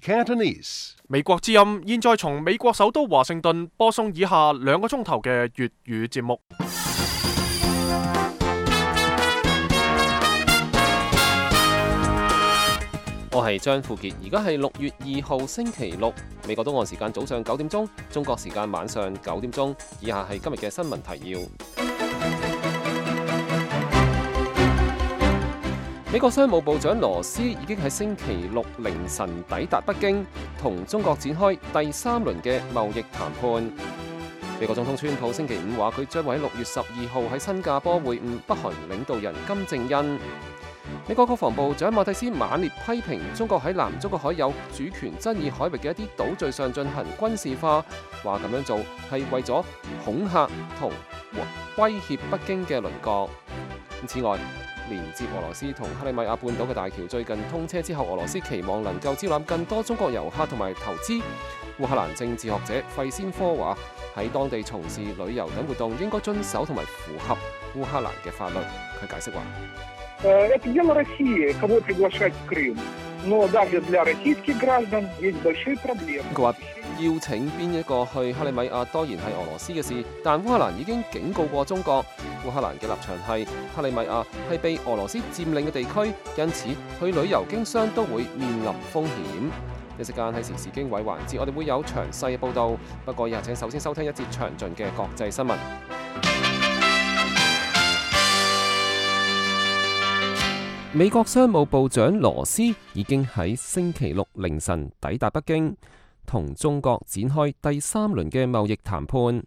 Cantonese. 美國之音現在從美國首都華盛頓播送以下2個鐘頭嘅粵語節目。我係張富傑，而家係6月2號星期六，美國東岸時間早上9點鐘，中國時間晚上9點鐘。以下係今日嘅新聞提要。美國商務部長羅斯已經喺星期六凌晨抵達北京，同中國展開第3輪嘅貿易談判。美國總統川普星期5話，佢將會喺6月12號喺新加坡會晤北韓領導人金正恩。美國國防部長馬蒂斯猛烈批評中國喺南中國海有主權爭議海域嘅一啲島嶼上進行軍事化，話咁樣做係為咗恐嚇同威脅北京嘅鄰國。此外，連接俄羅斯同克里米亞半島嘅大橋最近通車之後，俄羅斯期望能夠招攬更多中國遊客同埋投資。烏克蘭政治學者費先科話，喺當地從事旅遊等活動應該遵守同埋符合烏克蘭嘅法律。佢解釋話：Это дело России, кого приглашать в Крым. Но даже для российских граждан есть большие проблемы. 佢話邀請邊一個去克里米亞當然係俄羅斯嘅事，但烏克蘭已經警告過中國。烏克蘭嘅立場係克里米亞係被俄羅斯佔領嘅地區，因此去旅遊經商都會面臨風險。一時間喺時事經緯環節，我哋會有詳細嘅報導。不過以下請首先收聽一節詳盡嘅國際新聞。美國商務部長羅斯已經喺星期六凌晨抵達北京，同中國展開第3輪嘅貿易談判。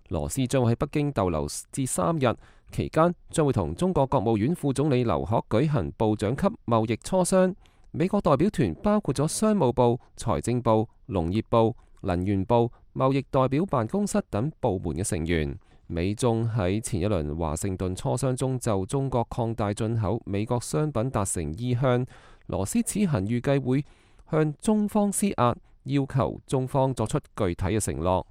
羅斯將會喺北京逗留至3日，期間將會同中國國務院副總理劉鶴舉行部長級貿易磋商。美國代表團包括咗商務部、財政部、農業部、能源部、貿易代表辦公室等部門嘅成員。美中喺前一輪華盛頓磋商中就中國擴大進口美國商品達成意向。羅斯此行預計會向中方施壓，要求中方作出具體嘅承諾。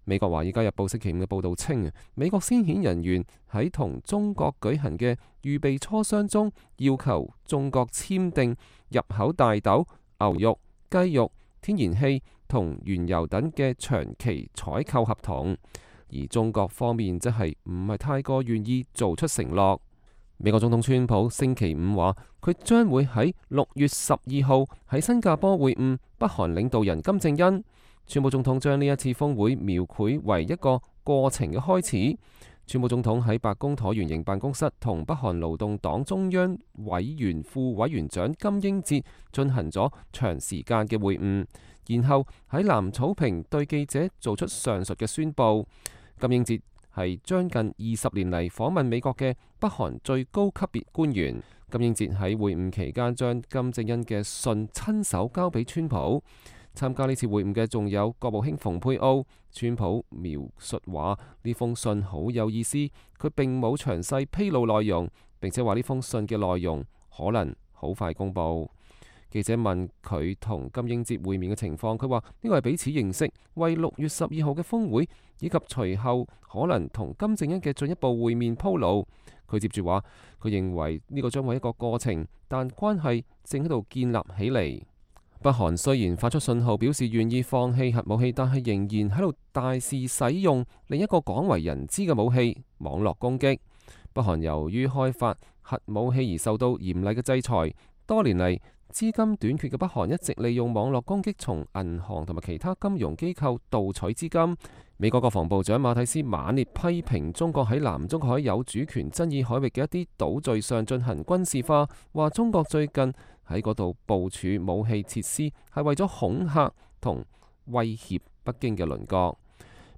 美國華爾街日報星期5嘅報導稱，美國先遣人員喺同中國舉行嘅預備磋商中，要求中國簽訂入口大豆、牛肉、雞肉、天然氣同原油等嘅長期採購合同。而中國方面則係唔係太過願意做出承諾。美國總統川普星期5話，佢將會喺6月12號喺新加坡會晤北韓領導人金正恩。川普總統將呢一次峰會描繪為一個過程嘅開始。川普總統喺白宮橢圓形辦公室同北韓勞動黨中央委員副委員長金英哲進行咗長時間嘅會晤，然後喺藍草坪對記者做出上述嘅宣佈。金英哲係將近20年嚟訪問美國嘅北韓最高級別官員。金英哲喺會晤期間將金正恩嘅信親手交俾川普。參加呢次會晤嘅仲有國務卿蓬佩奧。川普描述話呢封信好有意思，佢並冇詳細披露內容，並且話呢封信嘅內容可能好快公佈。記者問佢同金英哲會面嘅情況，佢話呢個係彼此認識，為6月12號嘅峰會以及隨後可能同金正恩嘅進一步會面鋪路。佢接住話，佢認為呢個將會係一個過程，但關係正喺度建立起嚟。北韓雖然發出信號表示願意放棄核武器，但係仍然喺度大肆使用另一個廣為人知嘅武器——網絡攻擊。北韓由於開發核武器而受到嚴厲嘅制裁，多年嚟資金短缺嘅北韓一直利用網絡攻擊從銀行同埋其他金融機構盜取資金。美國國防部長馬蒂斯猛烈批評中國喺南中國海有主權爭議海域嘅一啲島嶼上進行軍事化，話中國最近喺嗰度部署武器設施係為咗恐嚇同威脅北京嘅鄰國。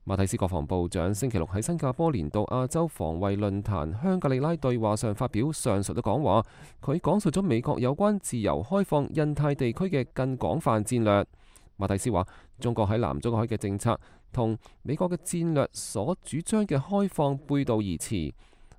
馬蒂斯國防部長星期六喺新加坡年度亞洲防衛論壇香格里拉對話上發表上述嘅講話，佢講述咗美國有關自由開放印太地區嘅更廣泛戰略。馬蒂斯話，中國喺南中國海嘅政策同美國嘅戰略所主張嘅開放背道而馳，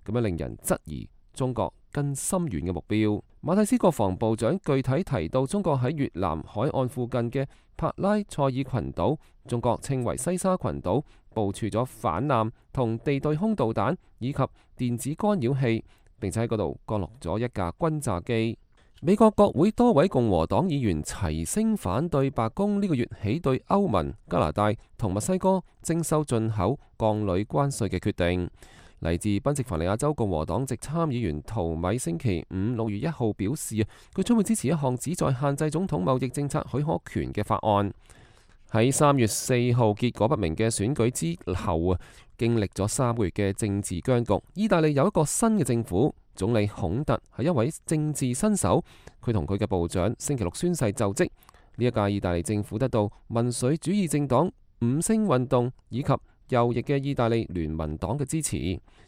咁樣令人質疑中國更深遠嘅目標。馬蒂斯國防部長具體提到，中國喺越南海岸附近嘅帕拉塞爾群島，中國稱為西沙群島，部署咗反艦同地對空導彈以及電子干擾器，並且喺嗰度降落咗一架轟炸機。美國國會多位共和黨議員齊聲反對白宮呢個月起對歐盟、加拿大同墨西哥徵收進口鋼鋁關稅嘅決定。嚟自賓夕凡尼亞州共和黨籍參議員陶米星期五6月1號表示，佢將會支持一項旨在限制總統貿易政策許可權嘅法案。喺3月4號結果不明嘅選舉之後經歷咗3個月嘅政治僵局，意大利有一個新嘅政府。總理孔特係一位政治新手，佢同佢嘅部長星期六宣誓就職。呢一屆意大利政府得到民粹主義政黨五星運動以及右翼嘅意大利聯盟黨嘅支持。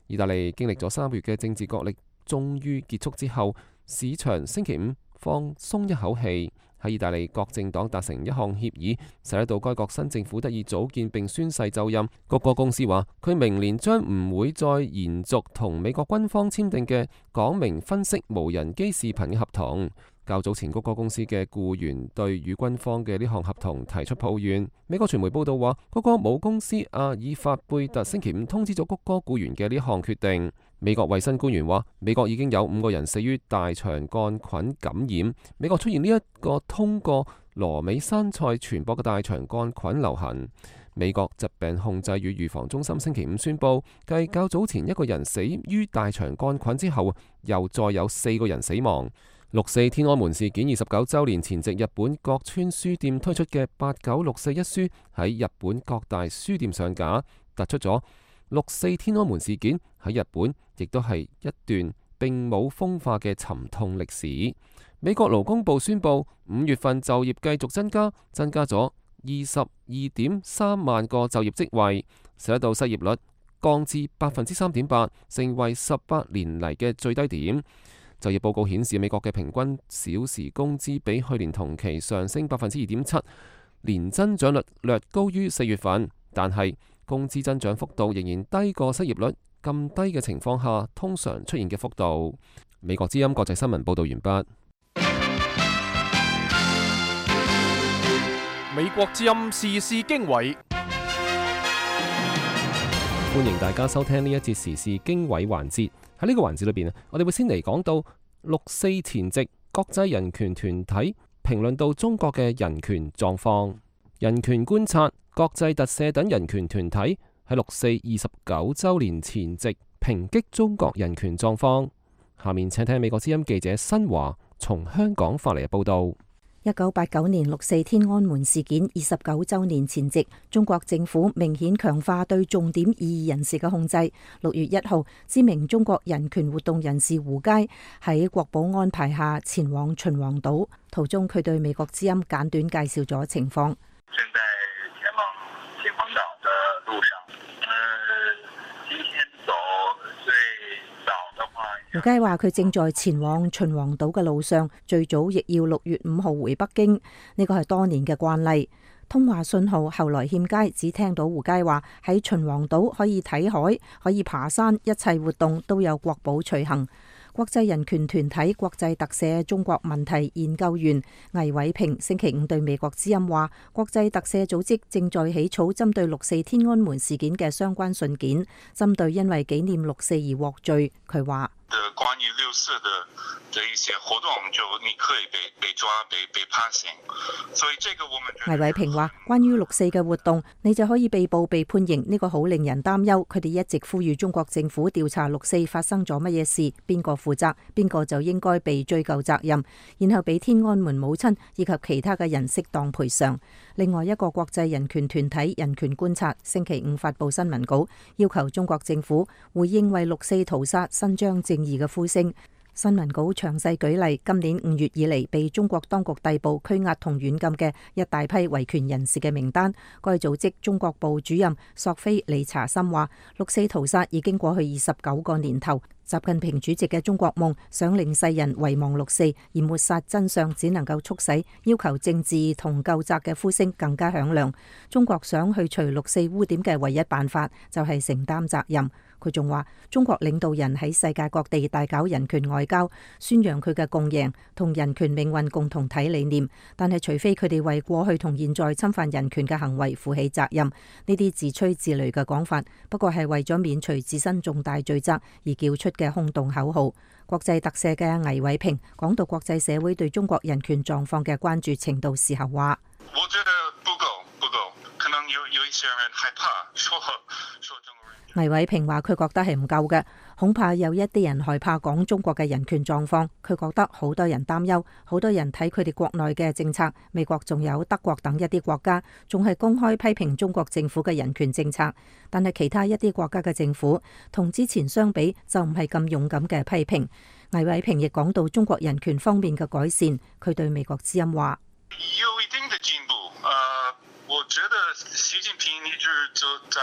意大利經歷咗3個月嘅政治角力，終於結束之後，市場星期五放鬆一口氣。喺意大利各政黨達成一項協議，使得到該國新政府得以組建並宣誓就任。谷歌公司話，佢明年將唔會再延續同美國軍方簽訂嘅講明分析無人機視頻嘅合同。較早前，谷歌公司嘅僱員對與軍方嘅呢項合同提出抱怨。美國傳媒報道話，谷歌母公司阿爾法貝特星期五通知咗谷歌僱員嘅呢項決定。美國衛生官員話，美國已經有5個人死於大腸桿菌感染。美國出現呢一個通過羅美山菜傳播嘅大腸桿菌流行。美國疾病控制與預防中心星期五宣布，繼較早前1個人死於大腸桿菌之後，又再有4個人死亡。6·4天安門事件29週年前夕，日本各村書店推出嘅8964一書喺日本各大書店上架，突出咗6·4天安門事件喺日本亦都係一段並冇風化嘅沉痛歷史。美國勞工部宣布5月份就業繼續增加咗22.3萬個就業職位，使得到失業率降至3.8%，成為18年嚟嘅最低點。就業報告顯示，美國嘅平均小時工資比去年同期上升2.7%，年增長率略高於4月份，但係工資增長幅度仍然低過失業率咁低嘅情況下通常出現嘅幅度。美國之音國際新聞報道完畢。美國之音時事經緯，歡迎大家收聽呢一節時事經緯環節。喺呢個環節裏邊，我哋會先嚟講到6·4前夕，國際人權團體評論到中國嘅人權狀況。人權觀察、國際特赦等人權團體喺6·4 29週年前夕抨擊中國人權狀況。下面請聽美國之音記者新華從香港發嚟嘅報道。1989年6·4天安門事件29週年前夕，中國政府明顯強化對重點異議人士嘅控制。6月1號，知名中國人權活動人士胡佳喺國保安排下前往秦皇島，途中佢對美國之音簡短介紹咗情況。正在前往秦皇島的路上，今天走最早的話，胡佳話佢正在前往秦皇島嘅路上，最早亦要6月5號回北京，呢個係多年嘅慣例。通話信號後來欠佳，只聽到胡佳話喺秦皇島可以睇海，可以爬山，一切活動都有國保隨行。國際人權團體國際特赦中國問題研究員魏偉平星期五對美國之音話，國際特赦組織正在起草針對6·4天安門事件嘅相關信件，針對因為紀念6·4而獲罪。佢話關於6·4的一些活動，就你可以被抓、被判刑，所以這個我們魏偉平話，關於6·4嘅活動，你就可以被捕、被判刑，呢個好令人擔憂。佢哋一直呼籲中國政府調查6·4發生咗乜嘢事，邊個負責，邊個就應該被追究責任，然後俾天安門母親以及其他嘅人適當賠償。另外一個國際人權團體人權觀察星期五發布新聞稿，要求中國政府回應為6·4屠殺伸張正義嘅呼聲。新聞稿詳細舉例，今年5月以嚟被中國當局逮捕、拘押同軟禁嘅一大批維權人士嘅名單。該組織中國部主任索菲理查森話：6·4屠殺已經過去29個年頭，習近平主席嘅中國夢想令世人遺忘6·4，而抹殺真相只能夠促使要求政治同究責嘅呼聲更加響亮。中國想去除6·4污點嘅唯一辦法就係承擔責任。佢仲話中國領導人喺世界各地大搞人權外交，宣揚佢嘅共贏同人權命運共同體理念，但係除非佢哋為過去同現在侵犯人權嘅行為負起責任，呢啲自吹自擂嘅講法不過係為咗免除自身重大罪責而叫出嘅空洞口號。國際特赦嘅倪偉平講到國際社會對中國人權狀況嘅關注程度時候話：我覺得不夠，可能有一些人害怕說中國人權。倪偉平話佢覺得係唔夠嘅，恐怕有一啲人害怕講中國嘅人權狀況。佢覺得好多人擔憂，好多人睇佢哋國內嘅政策，美國仲有德國等一啲國家仲係公開批評中國政府嘅人權政策，但係其他一啲國家嘅政府同之前相比就唔係咁勇敢嘅批評。倪偉平亦講到中國人權方面嘅改善，佢對美國之音話：有一定的進步，我覺得習近平一直就在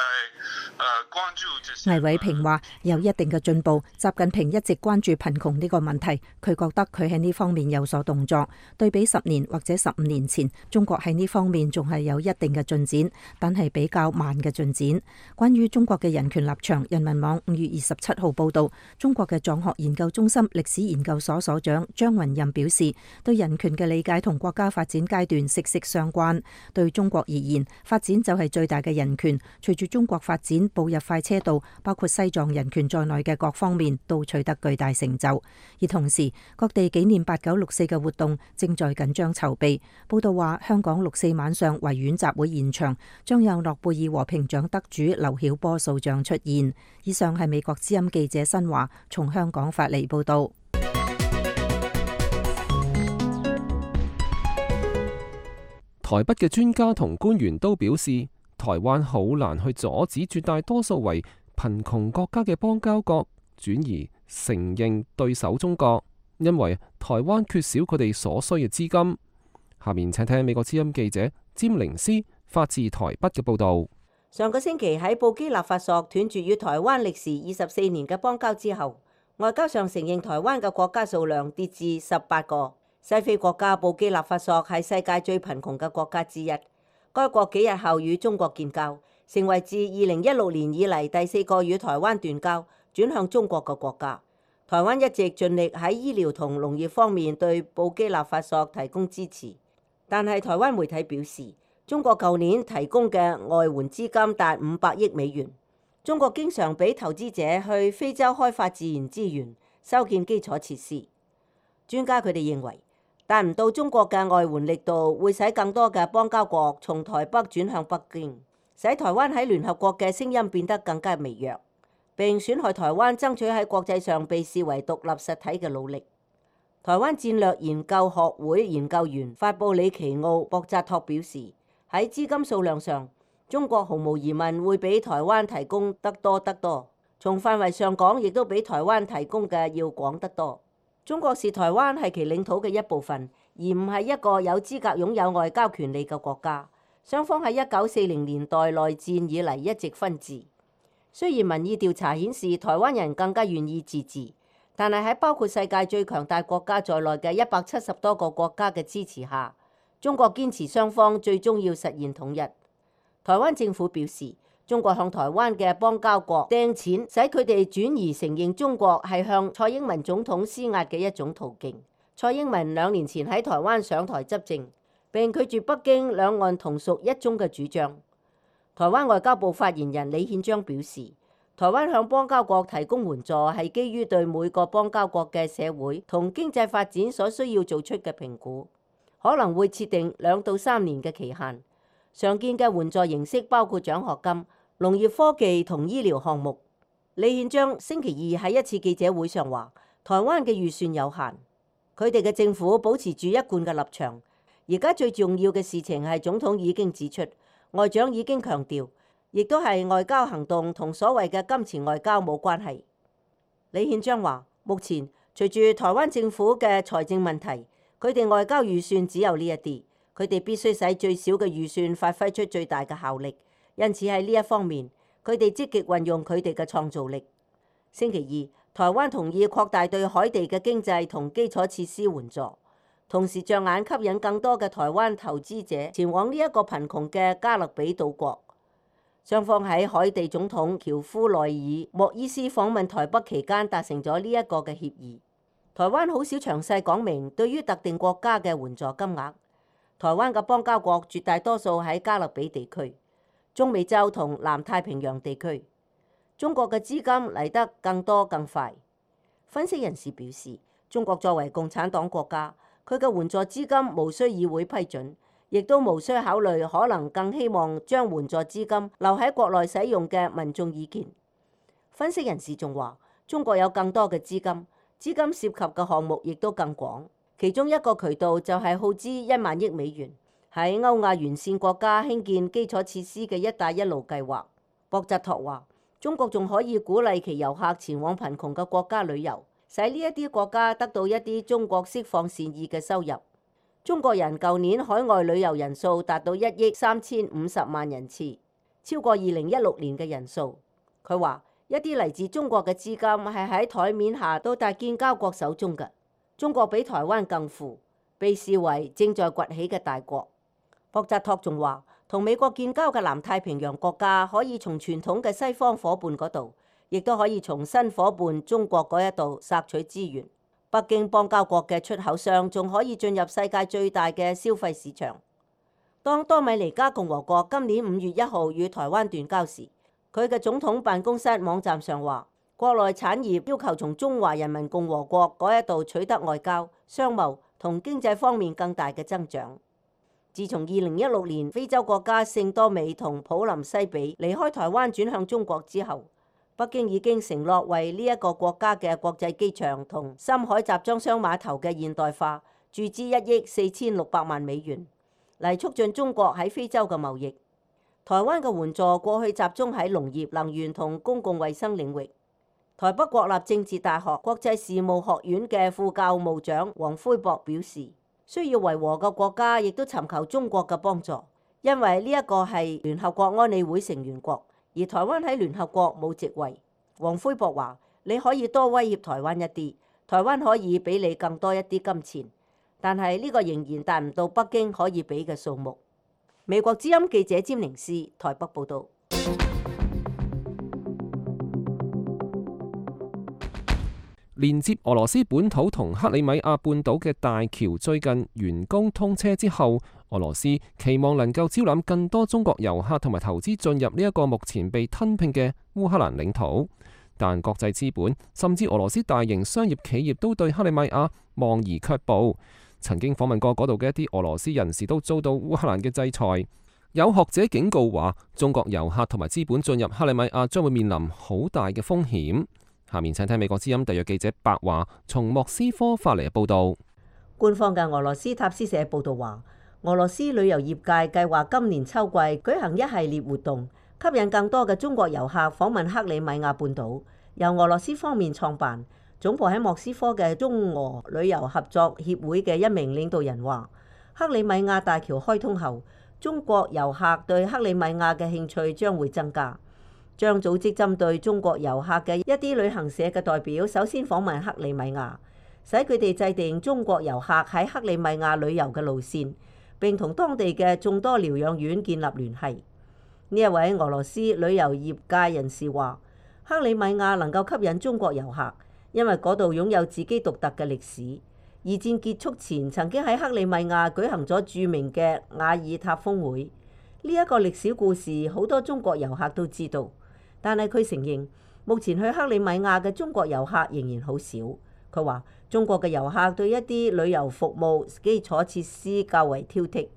關注這些。倪偉平話有一定嘅進步，習近平一直關注貧窮呢個問題，佢覺得佢喺呢方面有所動作。對比10年或者15年前，中國喺呢方面仲係有一定嘅進展，但係比較慢嘅進展。關於中國嘅人權立場，人民網5月27號報道，中國嘅藏學研究中心歷史研究所所長張雲任表示，對人權嘅理解同國家發展階段息息相關。對中國而言，發展就係最大嘅人權。隨住中國發展步入快車道，包括西藏人權在內嘅各方面都取得巨大成就。而同時，各地紀念8964嘅活動正在緊張籌備。報道話，香港6.4晚上維園集會現場將有諾貝爾和平獎得主劉曉波塑像出現。以上係美國之音記者新華從香港發嚟報道。台北嘅專家同官員都表示，台灣好難去阻止絕大多數為貧窮國家嘅邦交國轉移承認對手中國，因為台灣缺少佢哋所需嘅資金。下面請聽美國之音記者詹玲斯發自台北嘅報導。上個星期喺布基納法索斷絕與台灣歷時24年嘅邦交之後，外交上承認台灣嘅國家數量跌至18個。西非國家布基納法索係世界最貧窮嘅國家之一。該國幾日後與中國建交，成為自2016年以嚟第4個與台灣斷交、轉向中國嘅國家。台灣一直盡力喺醫療同農業方面對布基納法索提供支持，但係台灣媒體表示，中國舊年提供嘅外援資金達500億美元。中國經常俾投資者去非洲開發自然資源、修建基礎設施。專家佢哋認為，達唔到中國嘅外援力度，會使更多嘅邦交國從台北轉向北京，使台灣喺聯合國嘅聲音變得更加微弱，並損害台灣爭取喺國際上被視為獨立實體嘅努力。台灣戰略研究學會研究員法布里奇奧博扎托表示，喺資金數量上，中國毫無疑問會比台灣提供得多得多，從範圍上講，亦都比台灣提供嘅要廣得多。中國視台灣係其領土嘅一部分，而唔係一個有資格擁有外交權利嘅國家。雙方喺1940年代內戰以嚟一直分治。雖然民意調查顯示台灣人更加願意自治，但係喺包括世界最強大國家在內嘅170多個國家嘅支持下，中國堅持雙方最終要實現統一。台灣政府表示，中國向台灣嘅邦交國掟錢，使佢哋轉移承認中國係向蔡英文總統施壓嘅一種途徑。蔡英文2年前喺台灣上台執政，並拒絕北京兩岸同屬一中嘅主張。台灣外交部發言人李憲章表示，台灣向邦交國提供援助係基於對每個邦交國嘅社會同經濟發展所需要做出嘅評估，可能會設定2到3年嘅期限。常見嘅援助形式包括獎學金、農業科技同醫療項目。李憲章星期2喺一次記者會上話，台灣嘅預算有限，佢哋嘅政府保持住一貫嘅立場。而家最重要嘅事情係總統已經指出，外長已經強調，亦都係外交行動同所謂嘅金錢外交冇關係。李憲章話，目前隨住台灣政府嘅財政問題，佢哋外交預算只有呢一啲，佢哋必須使最少嘅預算發揮出最大嘅效力。因此喺呢一方面，佢哋積極運用佢哋嘅創造力。星期2，台灣同意擴大對海地嘅經濟同基礎設施援助，同時着眼吸引更多嘅台灣投資者前往呢一個貧窮嘅加勒比島國。雙方喺海地總統喬夫內爾莫伊斯訪問台北期間達成咗呢一個嘅協議。台灣好少詳細講明對於特定國家嘅援助金額。台灣嘅邦交國絕大多數喺加勒比地區、中美洲同南太平洋地區。中國嘅資金嚟得更多更快。分析人士表示，中國作為共產黨國家，佢嘅援助資金無需議會批准，亦都無需考慮可能更希望將援助資金留喺國內使用嘅民眾意見。分析人士仲話，中國有更多嘅資金涉及嘅項目亦都更廣，其中一個渠道就係耗資1萬億美元喺歐亞沿線國家興建基礎設施嘅一帶一路計劃。博扎托話，中國仲可以鼓勵其遊客前往貧窮嘅國家旅遊，使呢一啲國家得到一啲中國釋放善意嘅收入。中國人舊年海外旅遊人數達到1億3050萬人次，超過2016年嘅人數。佢話一啲嚟自中國嘅資金係喺台面下到達建交國手中嘅。中國比台灣更富，被視為正在崛起嘅大國。博扎托仲話，同美國建交嘅南太平洋國家可以從傳統嘅西方伙伴嗰度，亦都可以從新伙伴中國嗰一度索取資源。北京邦交國嘅出口商仲可以進入世界最大嘅消費市場。當多米尼加共和國今年5月1號與台灣斷交時，佢嘅總統辦公室網站上話，國內產業要求從中華人民共和國嗰一度取得外交、商貿同經濟方面更大嘅增長。自從2016年非洲國家聖多美同普林西比離開台灣轉向中國之後，北京已經承諾為呢一個國家嘅國際機場同深海集裝箱碼頭嘅現代化注資1億4600萬美元，嚟促進中國喺非洲嘅貿易。台灣嘅援助過去集中喺農業、能源同公共衛生領域。台北國立政治大學國際事務學院嘅副教務長黃輝博表示，需要維和嘅國家亦都尋求中國嘅幫助，因為呢一個係聯合國安理會成員國，而台灣喺聯合國冇席位。黃輝博話，你可以多威脅台灣一啲，台灣可以俾你更多一啲金錢，但係呢個仍然達唔到北京可以俾嘅數目。美國之音記者詹寧斯台北報導。連接俄羅斯本土同克里米亞半島嘅大橋最近完工通車之後，俄羅斯期望能夠招攬更多中國遊客同埋投資進入呢一個目前被吞併嘅烏克蘭領土。但國際資本甚至俄羅斯大型商業企業都對克里米亞望而卻步。曾經訪問過嗰度嘅一啲俄羅斯人士都遭到烏克蘭嘅制裁。有學者警告話，中國遊客同埋資本進入克里米亞將會面臨好大嘅風險。下面請聽美國之音特約記者白華從莫斯科發嚟嘅報道。官方嘅俄羅斯塔斯社報道話，俄羅斯旅遊業界計劃今年秋季舉行一系列活動，吸引更多嘅中國遊客訪問克里米亞半島。由俄羅斯方面創辦、總部喺莫斯科嘅中俄旅遊合作協會嘅一名領導人話，克里米亞大橋開通後，中國遊客對克里米亞嘅興趣將會增加。將組織針對中國遊客嘅一啲旅行社嘅代表，首先訪問克里米亞，使佢哋制定中國遊客喺克里米亞旅遊嘅路線，並同當地嘅眾多療養院建立聯繫。呢一位俄羅斯旅遊業界人士話，克里米亞能夠吸引中國遊客，因為嗰度擁有自己獨特嘅歷史。二戰結束前，曾經喺克里米亞舉行咗著名嘅瓦爾塔峰會。呢一個歷史故事，好多中國遊客都知道。但係佢承認，目前去克里米亞嘅中國遊客仍然好少。佢話，中國嘅遊客對一啲旅遊服務基礎設施較為挑剔。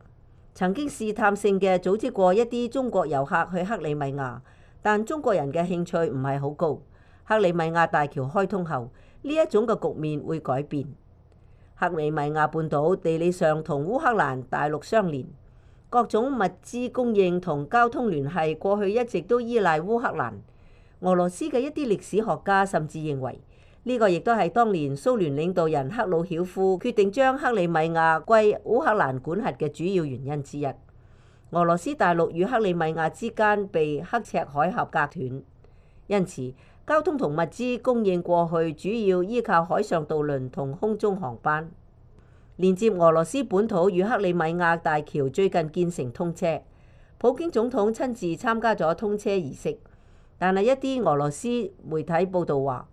曾經試探性嘅組織過一啲中國遊客去克里米亞，但中國人嘅興趣唔係好高。克里米亞大橋開通後，呢一種嘅局面會改變。克里米亞半島地理上同烏克蘭大陸相連。各種物資供應同交通聯繫過去一直都依賴烏克蘭。俄羅斯嘅一啲歷史學家甚至認為，呢個亦都係當年蘇聯領導人赫魯曉夫決定將克里米亞歸烏克蘭管轄嘅主要原因之一。俄羅斯大陸與克里米亞之間被刻赤海峽隔斷，因此交通同物資供應過去主要依靠海上渡輪同空中航班。連接俄羅斯本土與克里米亞大橋最近建成通車，普京總統親自參加咗通車儀式，但係一啲俄羅斯媒體報道話，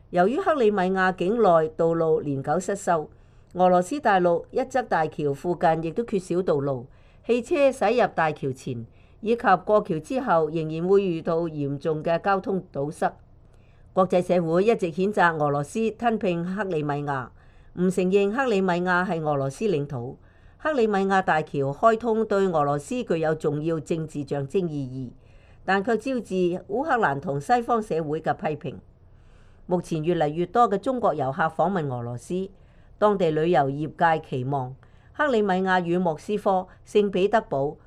由於克里米亞境內道路年久失修，俄羅斯大陸一側大橋附近亦都缺少道路，汽車駛入大橋前以及過橋之後仍然會遇到嚴重嘅交通堵塞。國際社會一直譴責俄羅斯吞併克里米亞，唔承認克里米亞係俄羅斯領土。克里米亞大橋開通對俄羅斯具有重要政治象徵意義，但卻招致烏克蘭同西方社會嘅批評。目前越嚟越多嘅中國遊客訪問俄羅斯，當地旅遊業界期望克里米亞與莫斯科、聖彼得堡、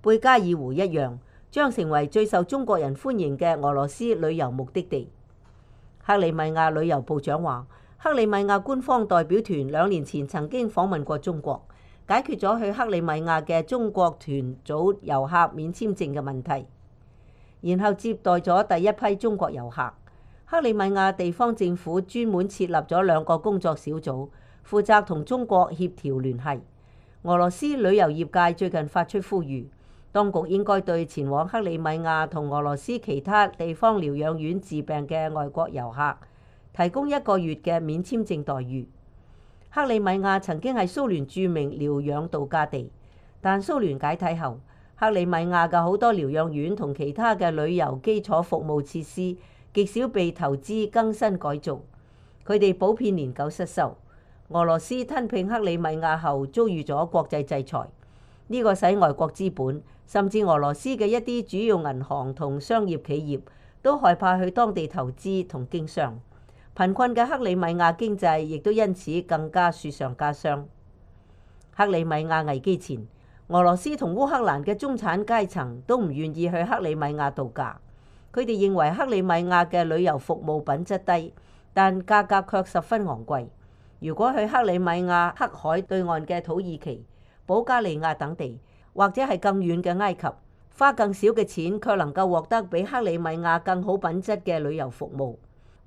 貝加爾湖一樣，將成為最受中國人歡迎嘅俄羅斯旅遊目的地。克里米亞旅遊部長話，克里米亞官方代表團2年前曾經訪問過中國，解決咗去克里米亞嘅中國團組遊客免簽證嘅問題，然後接待咗第一批中國遊客。克里米亞地方政府專門設立咗2個工作小組，負責同中國協調聯繫。俄羅斯旅遊業界最近發出呼籲，當局應該對前往克里米亞同俄羅斯其他地方療養院治病嘅外國遊客提供1個月嘅免簽證待遇。克里米亞曾經係蘇聯著名療養度假地，但蘇聯解體後，克里米亞嘅好多療養院同其他嘅旅遊基礎服務設施極少被投資更新改造，佢哋普遍年久失修。俄羅斯吞併克里米亞後遭遇咗國際制裁，呢個使外國資本甚至俄羅斯嘅一啲主要銀行同商業企業都害怕去當地投資同經商。貧困嘅克里米亞經濟亦都因此更加雪上加霜。克里米亞危機前，俄羅斯同烏克蘭嘅中產階層都唔願意去克里米亞度假，佢哋認為克里米亞嘅旅遊服務品質低，但價格卻十分昂貴。如果去克里米亞黑海對岸嘅土耳其、保加利亞等地，或者係更遠嘅埃及，花更少嘅錢卻能夠獲得比克里米亞更好品質嘅旅遊服務。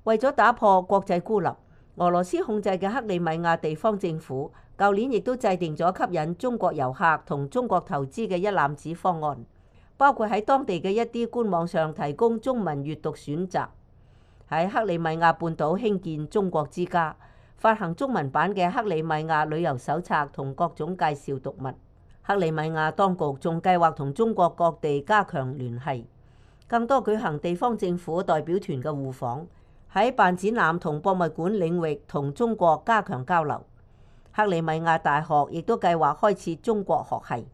為咗打破國際孤立，俄羅斯控制嘅克里米亞地方政府舊年亦都制定咗吸引中國遊客同中國投資嘅一攬子方案，包括喺當地嘅一啲官網上提供中文閱讀選擇，喺克里米亞半島興建中國之家，發行中文版嘅克里米亞旅遊手冊同各種介紹讀物。克里米亞當局仲計劃同中國各地加強聯繫，更多舉行地方政府代表團嘅互訪，喺辦展覽同博物館領域同中國加強交流。克里米亞大學亦都計劃開設中國學系，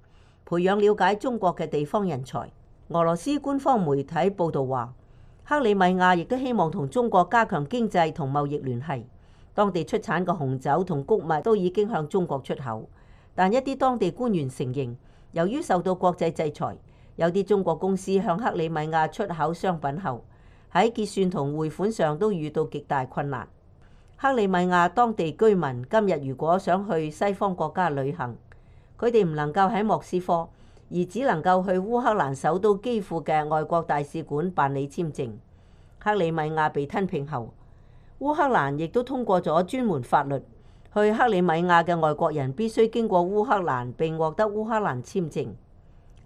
培養了解中國嘅地方人才。俄羅斯官方媒體報道話，克里米亞亦都希望同中國加強經濟同貿易聯繫。當地出產嘅紅酒同穀物都已經向中國出口，但一啲當地官員承認，由於受到國際制裁，有啲中國公司向克里米亞出口商品後，喺結算同匯款上都遇到極大困難。克里米亞當地居民今日如果想去西方國家旅行，佢哋唔能夠喺莫斯科，而只能夠去烏克蘭首都基輔嘅外國大使館辦理簽證。克里米亞被吞併後，烏克蘭亦都通過咗專門法律，去克里米亞嘅外國人必須經過烏克蘭並獲得烏克蘭簽證。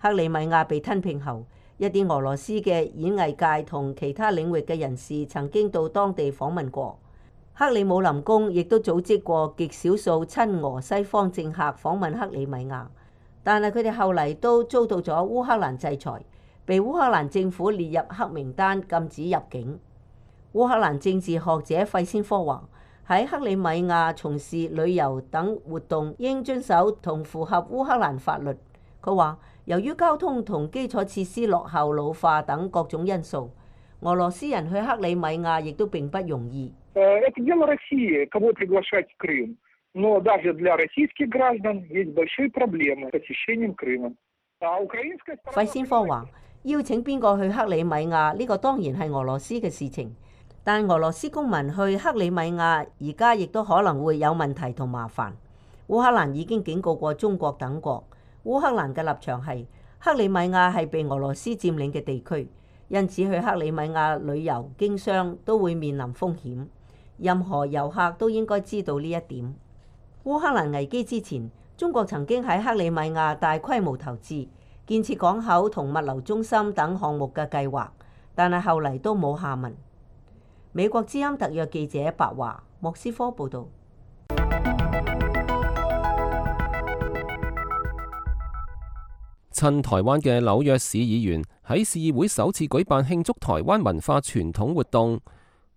克里米亞被吞併後，一啲俄羅斯嘅演藝界同其他領域嘅人士曾經到當地訪問過。克里姆林宮亦都組織過極少數親俄西方政客訪問克里米亞，但係佢哋後嚟都遭到咗烏克蘭制裁，被烏克蘭政府列入黑名單，禁止入境。烏克蘭政治學者費先科話，喺克里米亞從事旅遊等活動應遵守同符合烏克蘭法律。佢話，由於交通同基礎設施落後、老化等各種因素，俄羅斯人去克里米亞亦都並不容易。Это дело России, кого приглашать в Крым. Но даже для российских граждан есть большие проблемы с посещением Крыма. 費先科話，邀請邊個去克里米亞呢個當然係俄羅斯嘅事情，但俄羅斯公民去克里米亞而家亦都可能會有問題同麻煩。烏克蘭已經警告過中國等國，烏克蘭嘅立場係克里米亞係被俄羅斯佔領嘅地區，因此去克里米亞旅遊經商都會面臨風險。任何遊客都應該知道呢一點。烏克蘭危機之前，中國曾經喺克里米亞大規模投資，建設港口同物流中心等項目嘅計劃，但係後嚟都冇下文。美國之音特約記者白華莫斯科報導。親台灣嘅紐約市議員喺市議會首次舉辦慶祝台灣文化傳統活動，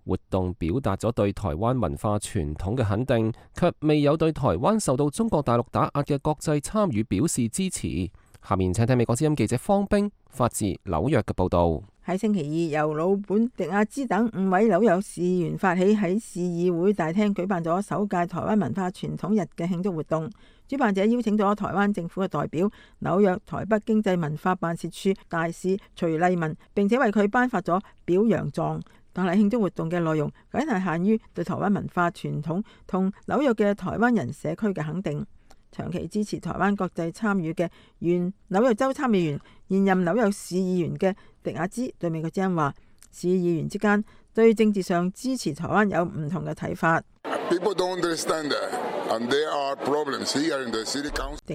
活動表達咗對台灣文化傳統嘅肯定，卻未有對台灣受到中國大陸打壓嘅國際參與表示支持。下面請聽美國之音記者方冰發自紐約嘅報導。喺星期二，由魯本迪亞茲等5位紐約市議員發起，喺市議會大廳舉辦咗首屆台灣文化傳統日嘅慶祝活動。主辦者邀請咗台灣政府嘅代表、紐約台北經濟文化辦事處大使徐麗文，並且為佢頒發咗表揚狀。但係慶祝活動嘅內容僅係限於對台灣文化傳統同紐約嘅台灣人社區嘅肯定。長期支持台灣國際參與嘅原紐約州參議員、現任紐約市議員嘅迪亞茲對美國之音話：市議員之間對政治上支持台灣有唔同嘅睇法。迪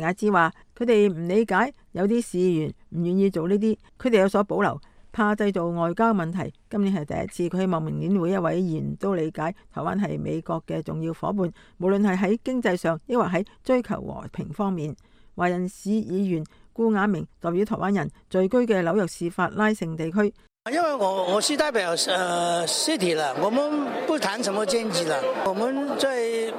亞茲話：佢哋唔理解，有啲市議員唔願意做呢啲，佢哋有所保留，怕製造外交問題。今年係第一次，佢希望明年每一位議員都理解台灣係美國嘅重要夥伴，無論係喺經濟上，抑或喺追求和平方面。華人市議員顧雅明代表台灣人聚居嘅紐約市法拉盛地區。因為我是代表city 啦，我們不談什麼政治啦，我們在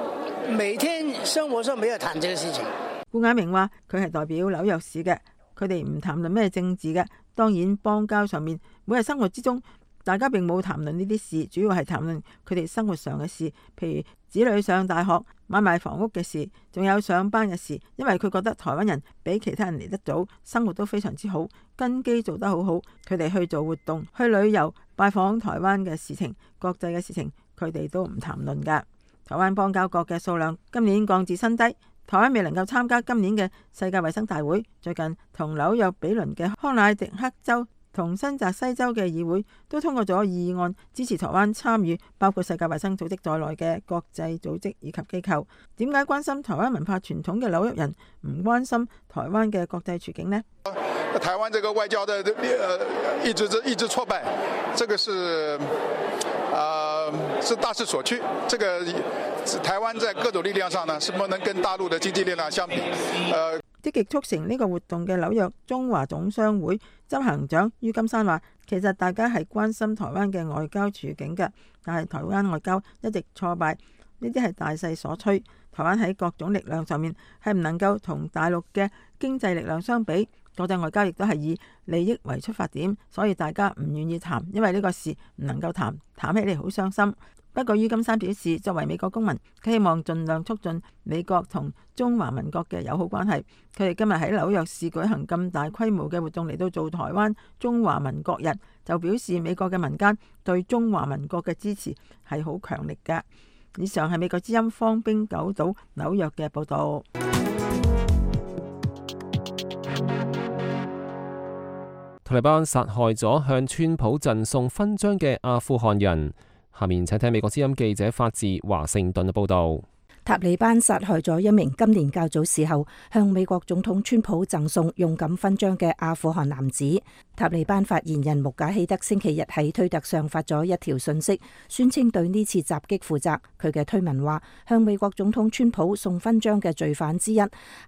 每天生活上沒有談這個事情。顧雅明話：佢係代表紐約市嘅，佢哋唔談論咩政治嘅。當然，邦交上面，每日生活之中，大家並冇談論呢啲事，主要係談論佢哋生活上嘅事，譬如子女上大學、買賣房屋嘅事，仲有上班嘅事。因為佢覺得台灣人比其他人嚟得早，生活都非常之好，根基做得好好。佢哋去做活動、去旅遊、拜訪台灣嘅事情、國際嘅事情，佢哋都唔談論㗎。台灣邦交國嘅數量今年降至新低。台灣未能夠參加今年嘅世界衛生大會，最近同紐約比鄰嘅康乃狄克州同新澤西州嘅議會都通過咗議案，支持台灣參與包括世界衛生組織在內嘅國際組織以及機構。點解關心台灣文化傳統嘅紐約人唔關心台灣嘅國際處境呢？台灣這個外交的一直挫敗，這個是大勢所趨。這個台灣在各種力量上呢，是不能跟大陸的經濟力量相比。積極促成呢個活動嘅紐約中華總商會執行長于金山話：其實大家係關心台灣嘅外交處境嘅，但係台灣外交一直挫敗，呢啲係大勢所趨。台灣喺各種力量上面係唔能夠同大陸嘅經濟力量相比。國際外交亦都係以利益為出發點，所以大家唔願意談，因為呢個事唔能夠談，談起嚟好傷心。不過于金山表示，作為美國公民，佢希望盡量促進美國同中華民國嘅友好關係。佢哋今日喺紐約市舉行咁大規模嘅活動嚟到做台灣中華民國日，就表示美國嘅民間對中華民國嘅支持係好強力㗎。以上係美國之音方冰九島紐約嘅報導。塔利班殺害咗向川普贈送勳章嘅阿富汗人。下面請聽美國之音記者發自華盛頓嘅報導。塔利班殺害咗一名今年較早時候向美國總統川普贈送勇敢勳章嘅阿富汗男子。塔利班發言人穆賈希德星期日喺推特上發咗一條信息，宣稱對呢次襲擊負責。佢嘅推文話，向美國總統川普送勳章嘅罪犯之一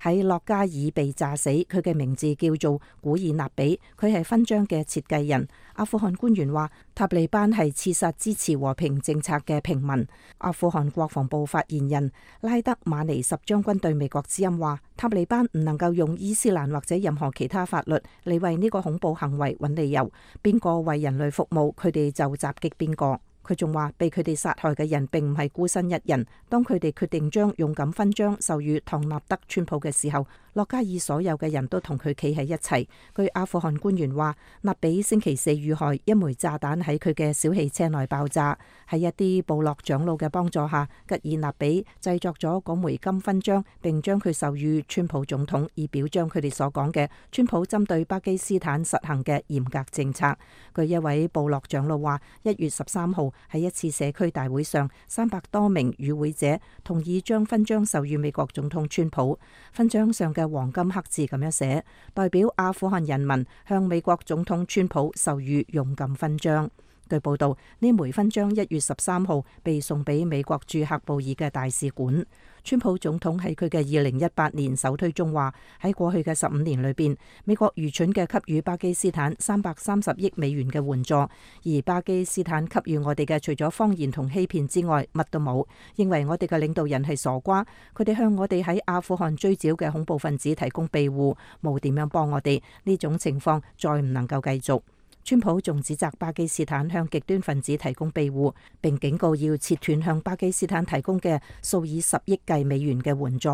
喺洛加爾被炸死，佢嘅名字叫做古爾納比，佢係勳章嘅設計人。阿富汗官員話，塔利班係刺殺支持和平政策嘅平民。阿富汗國防部發言人拉德馬尼什將軍對美國之音話，塔利班唔能夠用伊斯蘭或者任何其他法律嚟為呢個恐怖行為揾理由，邊個為人類服務，佢哋就襲擊邊個。佢仲話，被佢哋殺害嘅人並唔係孤身一人。當佢哋決定將勇敢勳章授予唐納德川普嘅時候，洛加爾所有嘅人都同佢企喺一齊。據阿富汗官員話，納比星期四遇害，一枚炸彈喺佢嘅小汽車內爆炸。喺一啲部落長老嘅幫助下，吉爾納比製作咗嗰枚金勳章，並將佢授予川普總統，以表彰佢哋所講嘅川普針對巴基斯坦實行嘅嚴格政策。據一位部落長老話，1月13號喺一次社區大會上，300多名與會者同意將勳章授予美國總統川普。勳章上嘅黃金刻字咁樣寫，代表阿富汗人民向美國總統川普授予勇敢勳章。據報道，呢枚勳章1月13號被送俾美國駐喀布爾嘅大使館。川普總統喺佢嘅2018年首推中話，喺過去嘅15年裏邊，美國愚蠢嘅給予巴基斯坦330億美元嘅援助，而巴基斯坦給予我哋嘅除咗謊言同欺騙之外，乜都冇。認為我哋嘅領導人係傻瓜，佢哋向我哋喺阿富汗追剿嘅恐怖分子提供庇護，冇點樣幫我哋。呢種情況再唔能夠繼續。川普仲指責巴基斯坦向極端分子提供庇護，並警告要切斷向巴基斯坦提供嘅數以10億計美元嘅援助。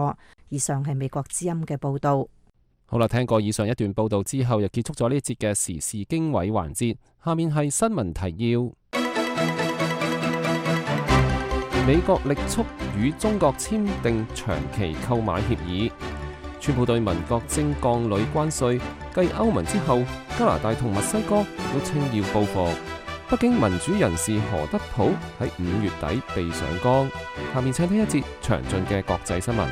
以上係美國之音嘅報導。好啦，聽過以上一段報導之後，又結束咗呢一節嘅時事經緯環節。下面係新聞提要：美國力促與中國簽訂長期購買協議。川普對民國徵鋼鋁關稅，繼歐盟之後，加拿大同墨西哥都稱要報復。北京民主人士何德普喺5月底被上崗。下面請聽一節詳盡嘅國際新聞。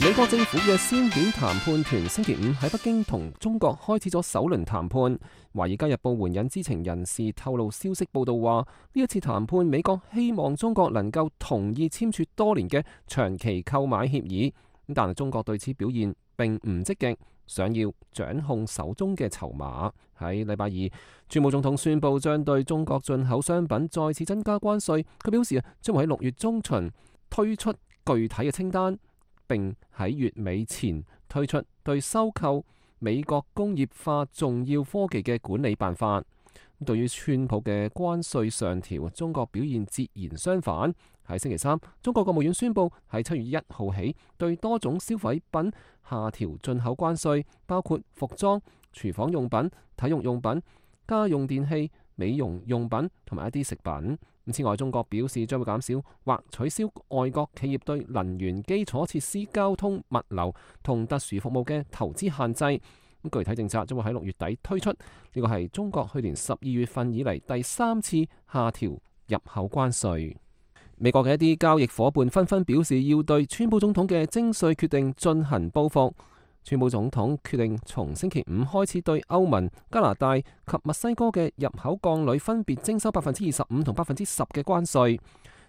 美國政府嘅先遣談判團星期五喺北京同中國開始咗首輪談判。華爾街日報援引知情人士透露消息報道話，呢一次談判美國希望中國能夠同意簽署多年嘅長期購買協議，但係中國對此表現並唔積極，想要掌控手中嘅籌碼。喺禮拜二，川普總統宣布將對中國進口商品再次增加關稅。佢表示將會喺6月中旬推出具體嘅清單，並喺月尾前推出對收購美國工業化重要科技嘅管理辦法。對於川普嘅關稅上調，中國表現截然相反。喺星期三，中國國務院宣布喺7月1號起對多種消費品下調進口關稅，包括服裝、廚房用品、體育用品、家用電器、美容用品同埋一啲食品。此外，中國表示將會減少或取消外國企業對能源基礎設施、交通、物流同特殊服務嘅投資限制。具體政策將會喺6月底推出。呢個係中國去年12月份以嚟第3次下調入口關稅。美國嘅一啲交易夥伴紛紛表示要對川普總統嘅徵稅決定進行報復。川普總統決定從星期5開始對歐盟、加拿大及墨西哥嘅入口鋼鋁分別徵收25%同10%嘅關稅。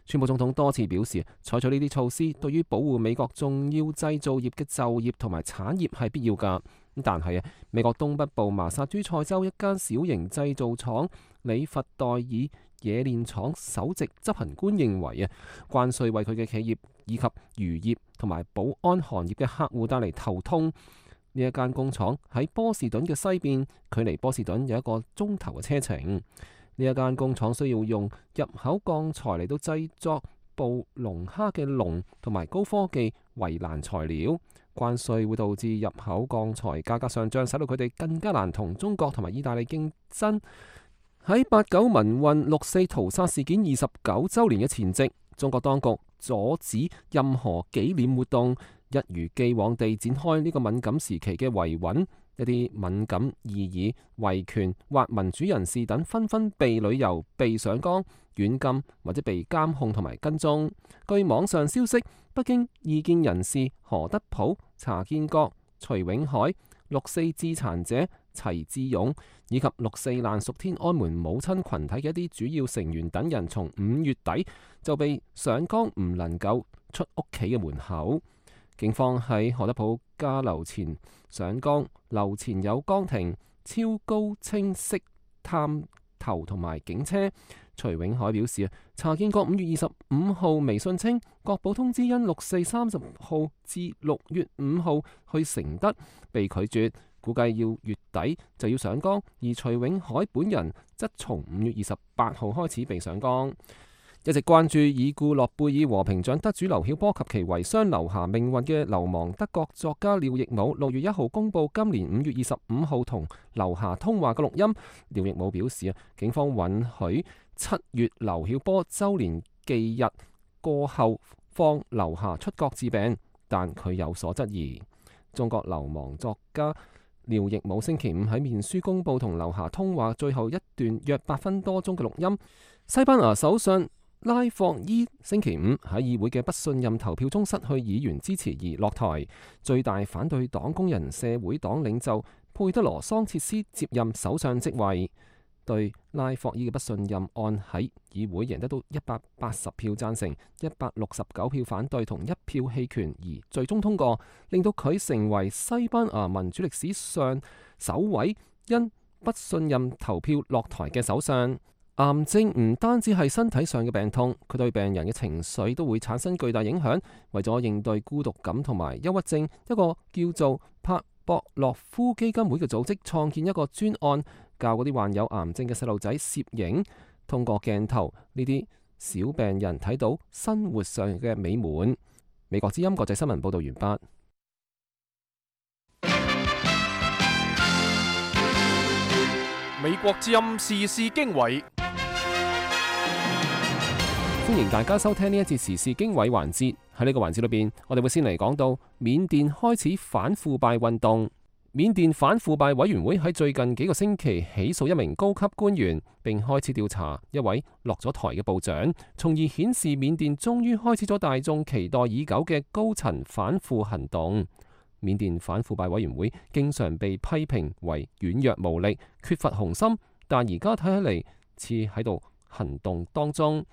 川普總統多次表示，採取呢啲措施對於保護美國重要製造業嘅就業同埋產業係必要㗎。但係美國東北部麻薩諸塞州一間小型製造廠里弗代爾冶煉廠首席執行官認為關稅為佢嘅企業以及漁業同埋保安行業嘅客戶帶嚟頭痛。呢一間工廠喺波士頓嘅西邊，距離波士頓有1個鐘頭嘅車程。呢一間工廠需要用入口鋼材嚟到製作捕龍蝦嘅籠同埋高科技圍欄材料。關稅會導致入口鋼材價格上漲，使到佢哋更加難同中國同埋意大利競爭。喺8·9民運6·4屠殺事件29週年嘅前夕，中國當局阻止任何紀念活動，一如既往地展開呢個敏感時期嘅維穩。一啲敏感異議、維權或民主人士等紛紛被旅遊、被上崗、軟禁或者被監控同埋跟蹤。據網上消息，北京異見人士何德普、查建國、徐永海、6·4致殘者齊志勇以及6·4難屬天安門母親群體嘅一啲主要成員等人，從5月底就被上崗，唔能夠出屋企嘅門口。警方喺何德普家樓前上崗，樓前有崗亭、超高清晰探頭同埋警車。徐永海表示查建國5月25號微信稱，國保通知因6·4 30號至6月5號去承德被拒絕，估計要月底就要上崗，而徐永海本人則從5月28號開始被上崗。一直關注已故諾貝爾和平獎得主劉曉波及其遺孀劉霞命運嘅流亡德國作家廖亦武6月1號公佈今年5月25號同劉霞通話嘅錄音。廖亦武表示警方允許7月劉曉波週年忌日過後放劉霞出國治病，但佢有所質疑。中國流亡作家廖亦武星期五喺面書公佈同劉霞通話最後一段約8分多鐘嘅錄音。西班牙首相拉霍伊星期五喺議會嘅不信任投票中失去議員支持而落台，最大反對黨工人社會黨領袖佩德羅桑切斯接任首相職位。對拉霍伊嘅不信任案喺議會贏得到180票贊成、169票反對同1票棄權而最終通過，令到佢成為西班牙民主歷史上首位因不信任投票落台嘅首相。癌症唔單止係身體上嘅病痛，佢對病人嘅情緒都會產生巨大影響。為咗應對孤獨感同埋憂鬱症，一個叫做帕博洛夫基金會嘅組織創建一個專案，教嗰啲患有癌症嘅細路仔攝影，通過鏡頭呢啲小病人睇到生活上嘅美滿。美國之音國際新聞報道完畢。美國之音時事經緯，歡迎大家收聽呢一節時事經緯環節。喺呢個環節裏邊，我哋會先嚟講到緬甸開始反腐敗運動。緬甸反腐敗委員會喺最近幾個星期起訴一名高級官員，並開始調查一位落咗台嘅部長，從而顯示緬甸終於開始咗大眾期待已久嘅高層反腐行動。緬甸反腐敗委員會經常被批評為軟弱無力、缺乏雄心，但而家睇起嚟似喺度行動當中。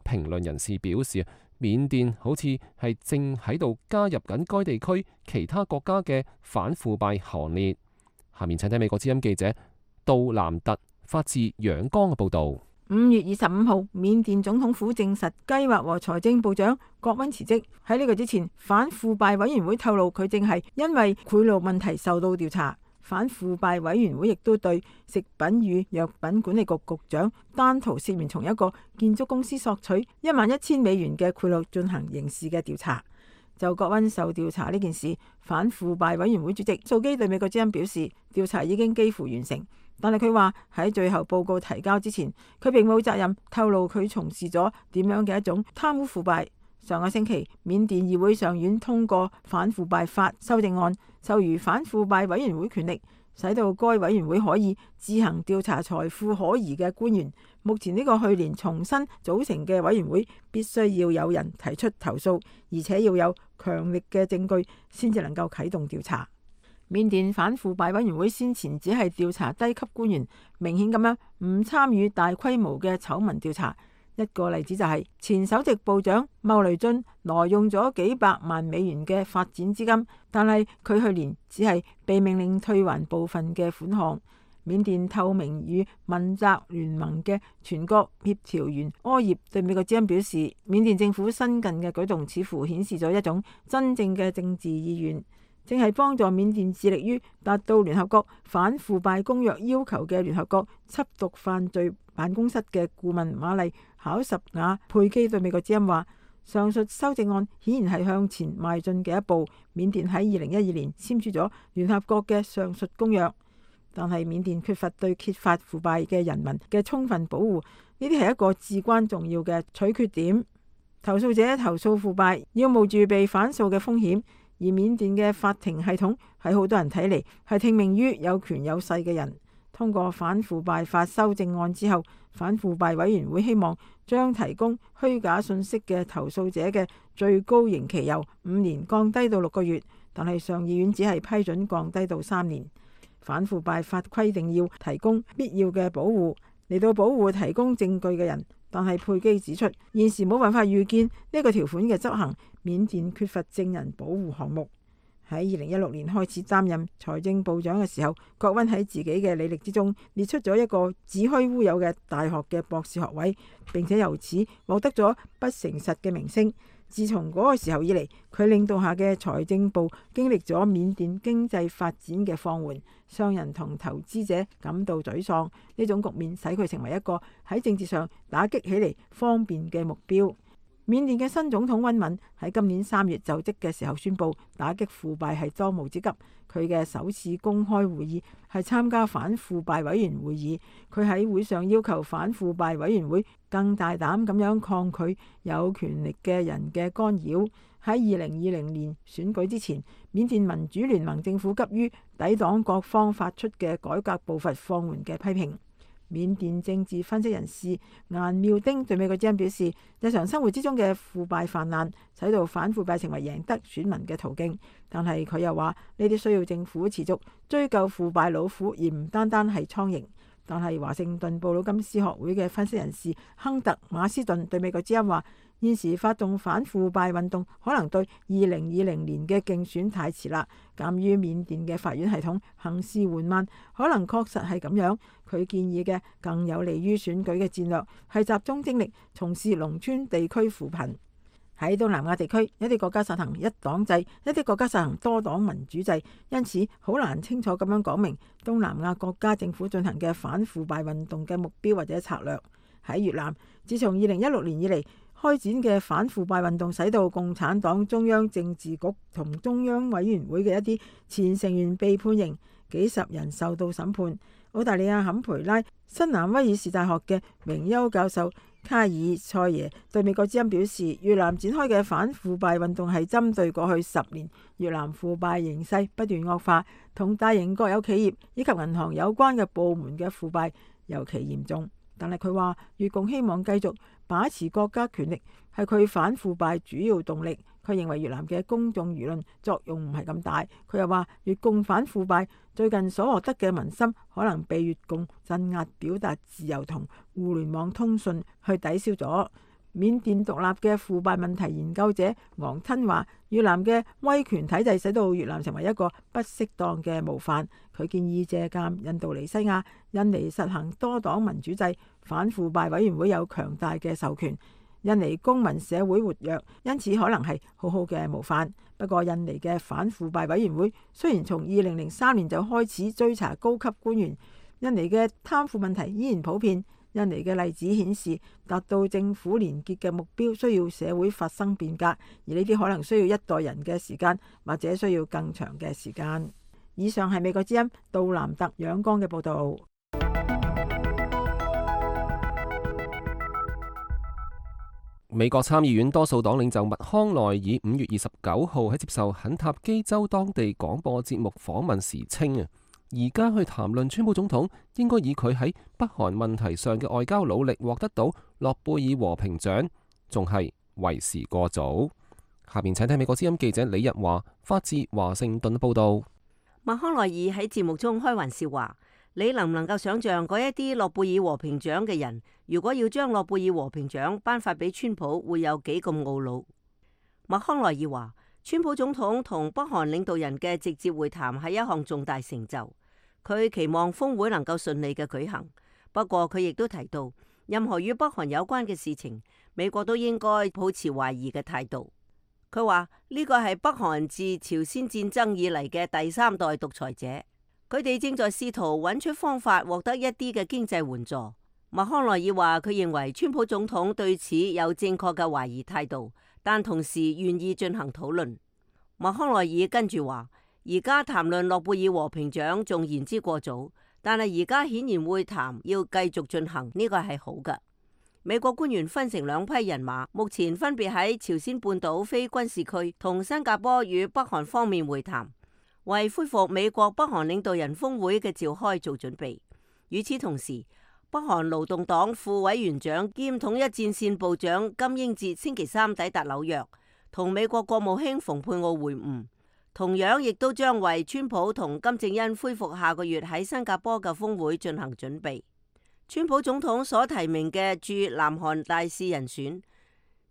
評論人士表示，緬甸好似係正喺度加入緊該地區其他國家嘅反腐敗行列。下面請聽美國之音記者杜南特發自仰光嘅報導。5月25號，緬甸總統府證實計劃和財政部長郭溫辭職。喺呢個之前，反腐敗委員會透露佢正係因為賄賂問題受到調查。反腐敗委員會亦都對食品與藥品管理局局長丹圖涉嫌從一個建築公司索取11000美元嘅賄賂進行刑事嘅調查。就郭溫受調查呢件事，反腐敗委員會主席素基對美國之音表示，調查已經幾乎完成，但係佢話喺最後報告提交之前，佢並冇責任透露佢從事咗點樣嘅一種貪污腐敗。上個星期，緬甸議會上院通過反腐敗法修正案，授予反腐敗委員會權力，使到該委員會可以自行調查財富可疑嘅官員。目前呢個去年重新組成嘅委員會必須要有人提出投訴，而且要有強力嘅證據先至能夠啟動調查。緬甸反腐敗委員會先前只係調查低級官員，明顯咁樣唔參與大規模嘅醜聞調查。一個例子就係前首席部長茂雷津挪用咗幾百萬美元嘅發展資金，但係佢去年只係被命令退還部分嘅款項。緬甸透明與問責聯盟嘅全國協調員柯葉對美國之音表示，緬甸政府新近嘅舉動似乎顯示咗一種真正嘅政治意願，正係幫助緬甸致力於達到聯合國反腐敗公約要求嘅聯合國緝毒犯罪辦公室嘅顧問瑪麗考什瓦佩基對美國之音話，上述修正案顯然係向前邁進嘅一步。緬甸喺2012年簽署咗聯合國嘅上述公約，但係緬甸缺乏對揭發腐敗嘅人民嘅充分保護，呢啲係一個至關重要嘅取決點。投訴者投訴腐敗要冒住被反訴嘅風險，而緬甸嘅法庭系統喺好多人睇嚟係聽命於有權有勢嘅人。通過反腐敗法修正案之後，反腐敗委員會希望將提供虛假信息嘅投訴者嘅最高刑期由5年降低到6個月，但係上議院只係批准降低到3年。反腐敗法規定要提供必要嘅保護嚟到保護提供證據嘅人，但係佩基指出，現時冇辦法預見呢個條款嘅執行，緬甸缺乏證人保護項目。喺2016年開始擔任財政部長嘅時候，郭溫喺自己嘅履歷之中列出咗一個子虛烏有嘅大學嘅博士學位，並且由此獲得咗不誠實嘅名聲。自從嗰個時候以嚟，佢領導下嘅財政部經歷咗緬甸經濟發展嘅放緩，商人同投資者感到沮喪。呢種局面使佢成為一個喺政治上打擊起嚟方便嘅目標。緬甸嘅新總統溫敏喺今年3月就職嘅時候宣布，打擊腐敗係當務之急。佢嘅首次公開會議係參加反腐敗委員會議。佢喺會上要求反腐敗委員會更大膽咁樣抗拒有權力嘅人嘅干擾。喺2020年選舉之前，緬甸民主聯盟政府急於抵擋各方發出嘅改革步伐放緩嘅批評。緬甸政治分析人士顏妙丁對美國之音表示，日常生活之中嘅腐敗泛濫，使到反腐敗成為贏得選民嘅途徑。但係佢又話，呢啲需要政府持續追究腐敗老虎，而唔單單係蒼蠅。但係華盛頓布魯金斯學會嘅分析人士亨特馬斯頓對美國之音話，現時發動反腐敗運動可能對2020年嘅競選太遲啦。鑑於緬甸嘅法院系統行事緩慢，可能確實係咁樣。佢建議嘅更有利於選舉嘅戰略係集中精力從事農村地區扶貧。喺東南亞地區，一啲國家實行一黨制，一啲國家實行多黨民主制，因此好難清楚咁樣講明東南亞國家政府進行嘅反腐敗運動嘅目標或者策略。喺越南，自從2016年以嚟開展嘅反腐敗運動，使到共產黨中央政治局同中央委員會嘅一啲前成員被判刑，幾十人受到審判。澳大利亞坎培拉新南威爾士大學嘅榮休教授卡爾塞耶對美國之音表示，越南展開嘅反腐敗運動係針對過去10年越南腐敗形勢不斷惡化，同大型國有企業以及銀行有關嘅部門嘅腐敗尤其嚴重。但係佢話，越共希望繼續把持國家權力係佢反腐敗主要動力。佢認為越南嘅公眾輿論作用唔係咁大。佢又話，越共反腐敗最近所獲得嘅民心可能被越共鎮壓表達自由同互聯網通訊去抵消咗。緬甸獨立嘅腐敗問題研究者昂吞話，越南嘅威權體制使到越南成為一個不適當嘅模範。佢建議借鑑印度尼西亞、印尼實行多黨民主制，反腐敗委員會有強大嘅授權。印尼公民社會活躍，因此可能係好好嘅模範。不過，印尼嘅反腐敗委員會雖然從2003年就開始追查高級官員，印尼嘅貪腐問題依然普遍。印尼嘅例子顯示，達到政府連結嘅目標需要社會發生變革，而呢啲可能需要一代人嘅時間，或者需要更長嘅時間。以上係美國之音杜南特仰光嘅報導。美國參議院多數黨領袖麥康奈爾5月29號喺接受肯塔基州當地廣播節目訪問時稱啊，而家去談論川普總統應該以佢喺北韓問題上嘅外交努力獲得到諾貝爾和平獎，仲係為時過早。下面請聽美國之音記者李日華發自華盛頓報道。麥康奈爾喺節目中開玩笑話，你能唔能夠想象嗰一啲諾貝爾和平獎嘅人，如果要將諾貝爾和平獎頒發俾川普，會有幾咁懊惱？麥康奈爾話，川普總統同北韓領導人嘅直接會談係一項重大成就，佢期望峰會能夠順利嘅舉行。不過佢亦都提到，任何與北韓有關嘅事情，美國都應該保持懷疑嘅態度。佢話呢個係北韓自朝鮮戰爭以嚟嘅第3代獨裁者，佢哋正在試圖揾出方法獲得一啲嘅經濟援助。麥康奈爾話，佢認為川普總統對此有正確嘅懷疑態度，但同時願意進行討論。麥康奈爾跟住話，而家談論諾貝爾和平獎仲言之過早，但係而家顯然會談要繼續進行，呢個係好嘅。美國官員分成2批人馬，目前分別喺朝鮮半島非軍事區同新加坡與北韓方面會談，為恢復美國北韓領導人峰會嘅召開做準備。與此同時，北韓勞動黨副委員長兼統一戰線部長金英哲星期3抵達紐約，同美國國務卿蓬佩奧會晤，同樣亦都將為川普同金正恩恢復下個月喺新加坡嘅峰會進行準備。川普總統所提名嘅駐南韓大使人選，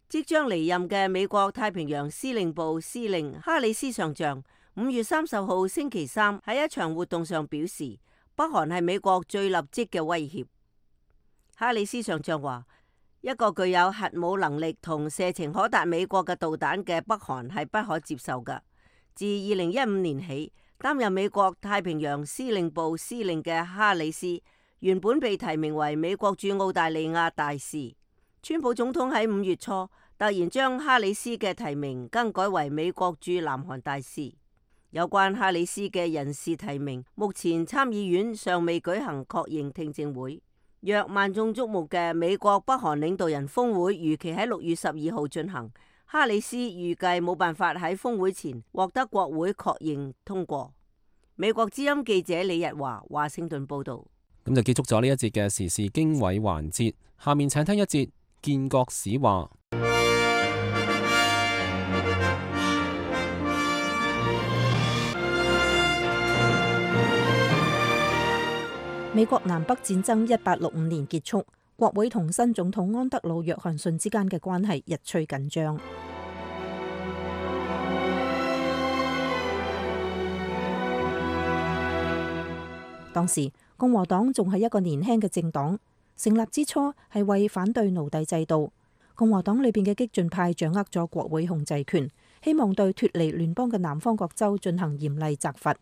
即將離任嘅美國太平洋司令部司令哈里斯上將5月30號星期3喺一場活動上表示，北韓係美國最立即嘅威脅。哈里斯上將話，一個具有核武能力同射程可達美國嘅導彈嘅北韓係不可接受㗎。自2015年起擔任美國太平洋司令部司令嘅哈里斯，原本被提名為美國駐澳大利亞大使。川普總統喺5月初突突然將哈里斯嘅提名更改為美國駐南韓大使。有關哈里斯嘅人事提名，目前參議院尚未舉行確認聽證會。若萬眾矚目嘅美國北韓領導人峰會如期喺6月12號進行，哈里斯預計冇辦法喺峰會前獲得國會確認通過。美國之音記者李日華華盛頓報道。咁就結束咗呢一節嘅時事經緯環節，下面請聽一節建國史話。美國南北戰爭1865年結束，國會同新總統安德魯約翰遜之間嘅關係日趨緊張。當時共和黨仲係一個年輕嘅政黨，成立之初係為反對奴隸制度。共和黨裏邊嘅激進派掌握咗國會控制權，希望對脫離聯邦嘅南方各州進行嚴厲責罰。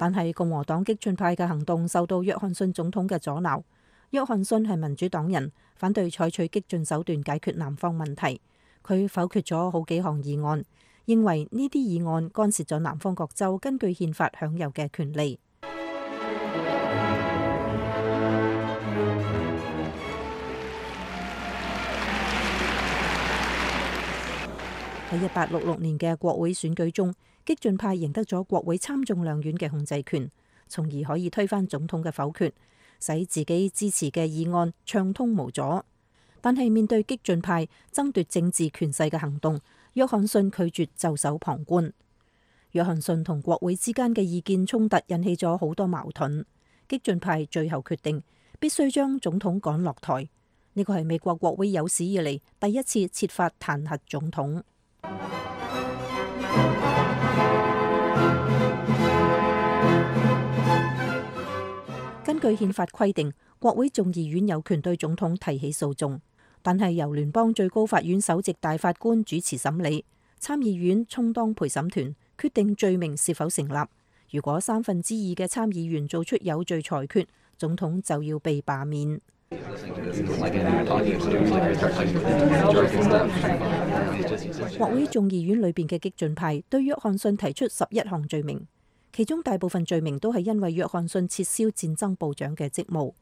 但係共和黨激進派嘅行動受到約翰遜總統嘅阻撓。約翰遜係民主黨人，反對採取激進手段解決南方問題。佢否決咗好幾項議案，認為呢啲議案干涉咗南方各州根據憲法享有嘅權利。喺1866年嘅國會選舉中，激進派贏得咗國會參眾兩院嘅控制權，從而可以推翻總統嘅否決，使自己支持嘅議案暢通無阻。但係面對激進派爭奪政治權勢嘅行動，約翰遜拒絕袖手旁觀。約翰遜同國會之間嘅意見衝突引起咗好多矛盾，激進派最後決定必須將總統趕落台。呢個係美國國會有史以嚟第一次設法彈劾總統。根據憲法規定，國會眾議院有權對總統提起訴訟，但係由聯邦最高法院首席大法官主持審理，參議院充當陪審團，決定罪名是否成立。如果2/3嘅參議員做出有罪裁決，總統就要被罷免。國會眾議院裏邊嘅激進派對約翰遜提出11項罪名，其中大部分罪名都係因為約翰遜撤銷戰爭部長嘅職務。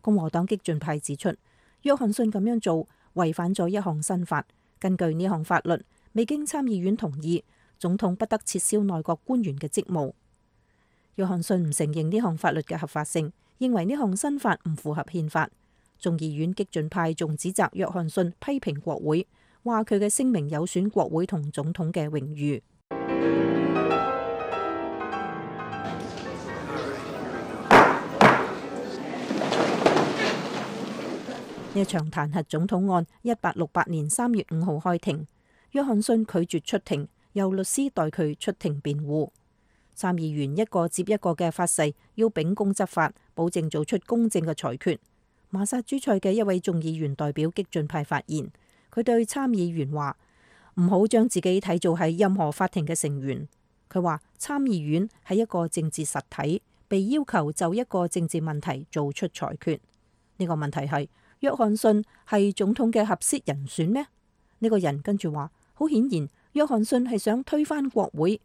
共和黨激進派指出，約翰遜咁樣做違反咗一項新法，根據呢項法律，未經參議院同意，總統不得撤銷內閣官員嘅職務。約翰遜唔承認呢項法律嘅合法性，認為呢項新法唔符合憲法。眾議院激進派仲指責約翰遜批評國會，話佢嘅聲明有損國會同總統嘅榮譽。呢場彈劾總統案1868年3月5號開庭，約翰遜拒絕出庭，由律師代佢出庭辯護。參議員一個接一個嘅發誓要秉公執法，保證做出公正嘅裁決。馬薩諸塞嘅一位眾議員代表激進派發言，佢對參議員話：唔好將自己睇做係任何法庭嘅成員。佢話參議院係一個政治實體，被要求就一個政治問題做出裁決。呢個問題係約翰遜係總統嘅合適人選咩？呢個人跟住話：好顯然，約翰遜係想推翻國會。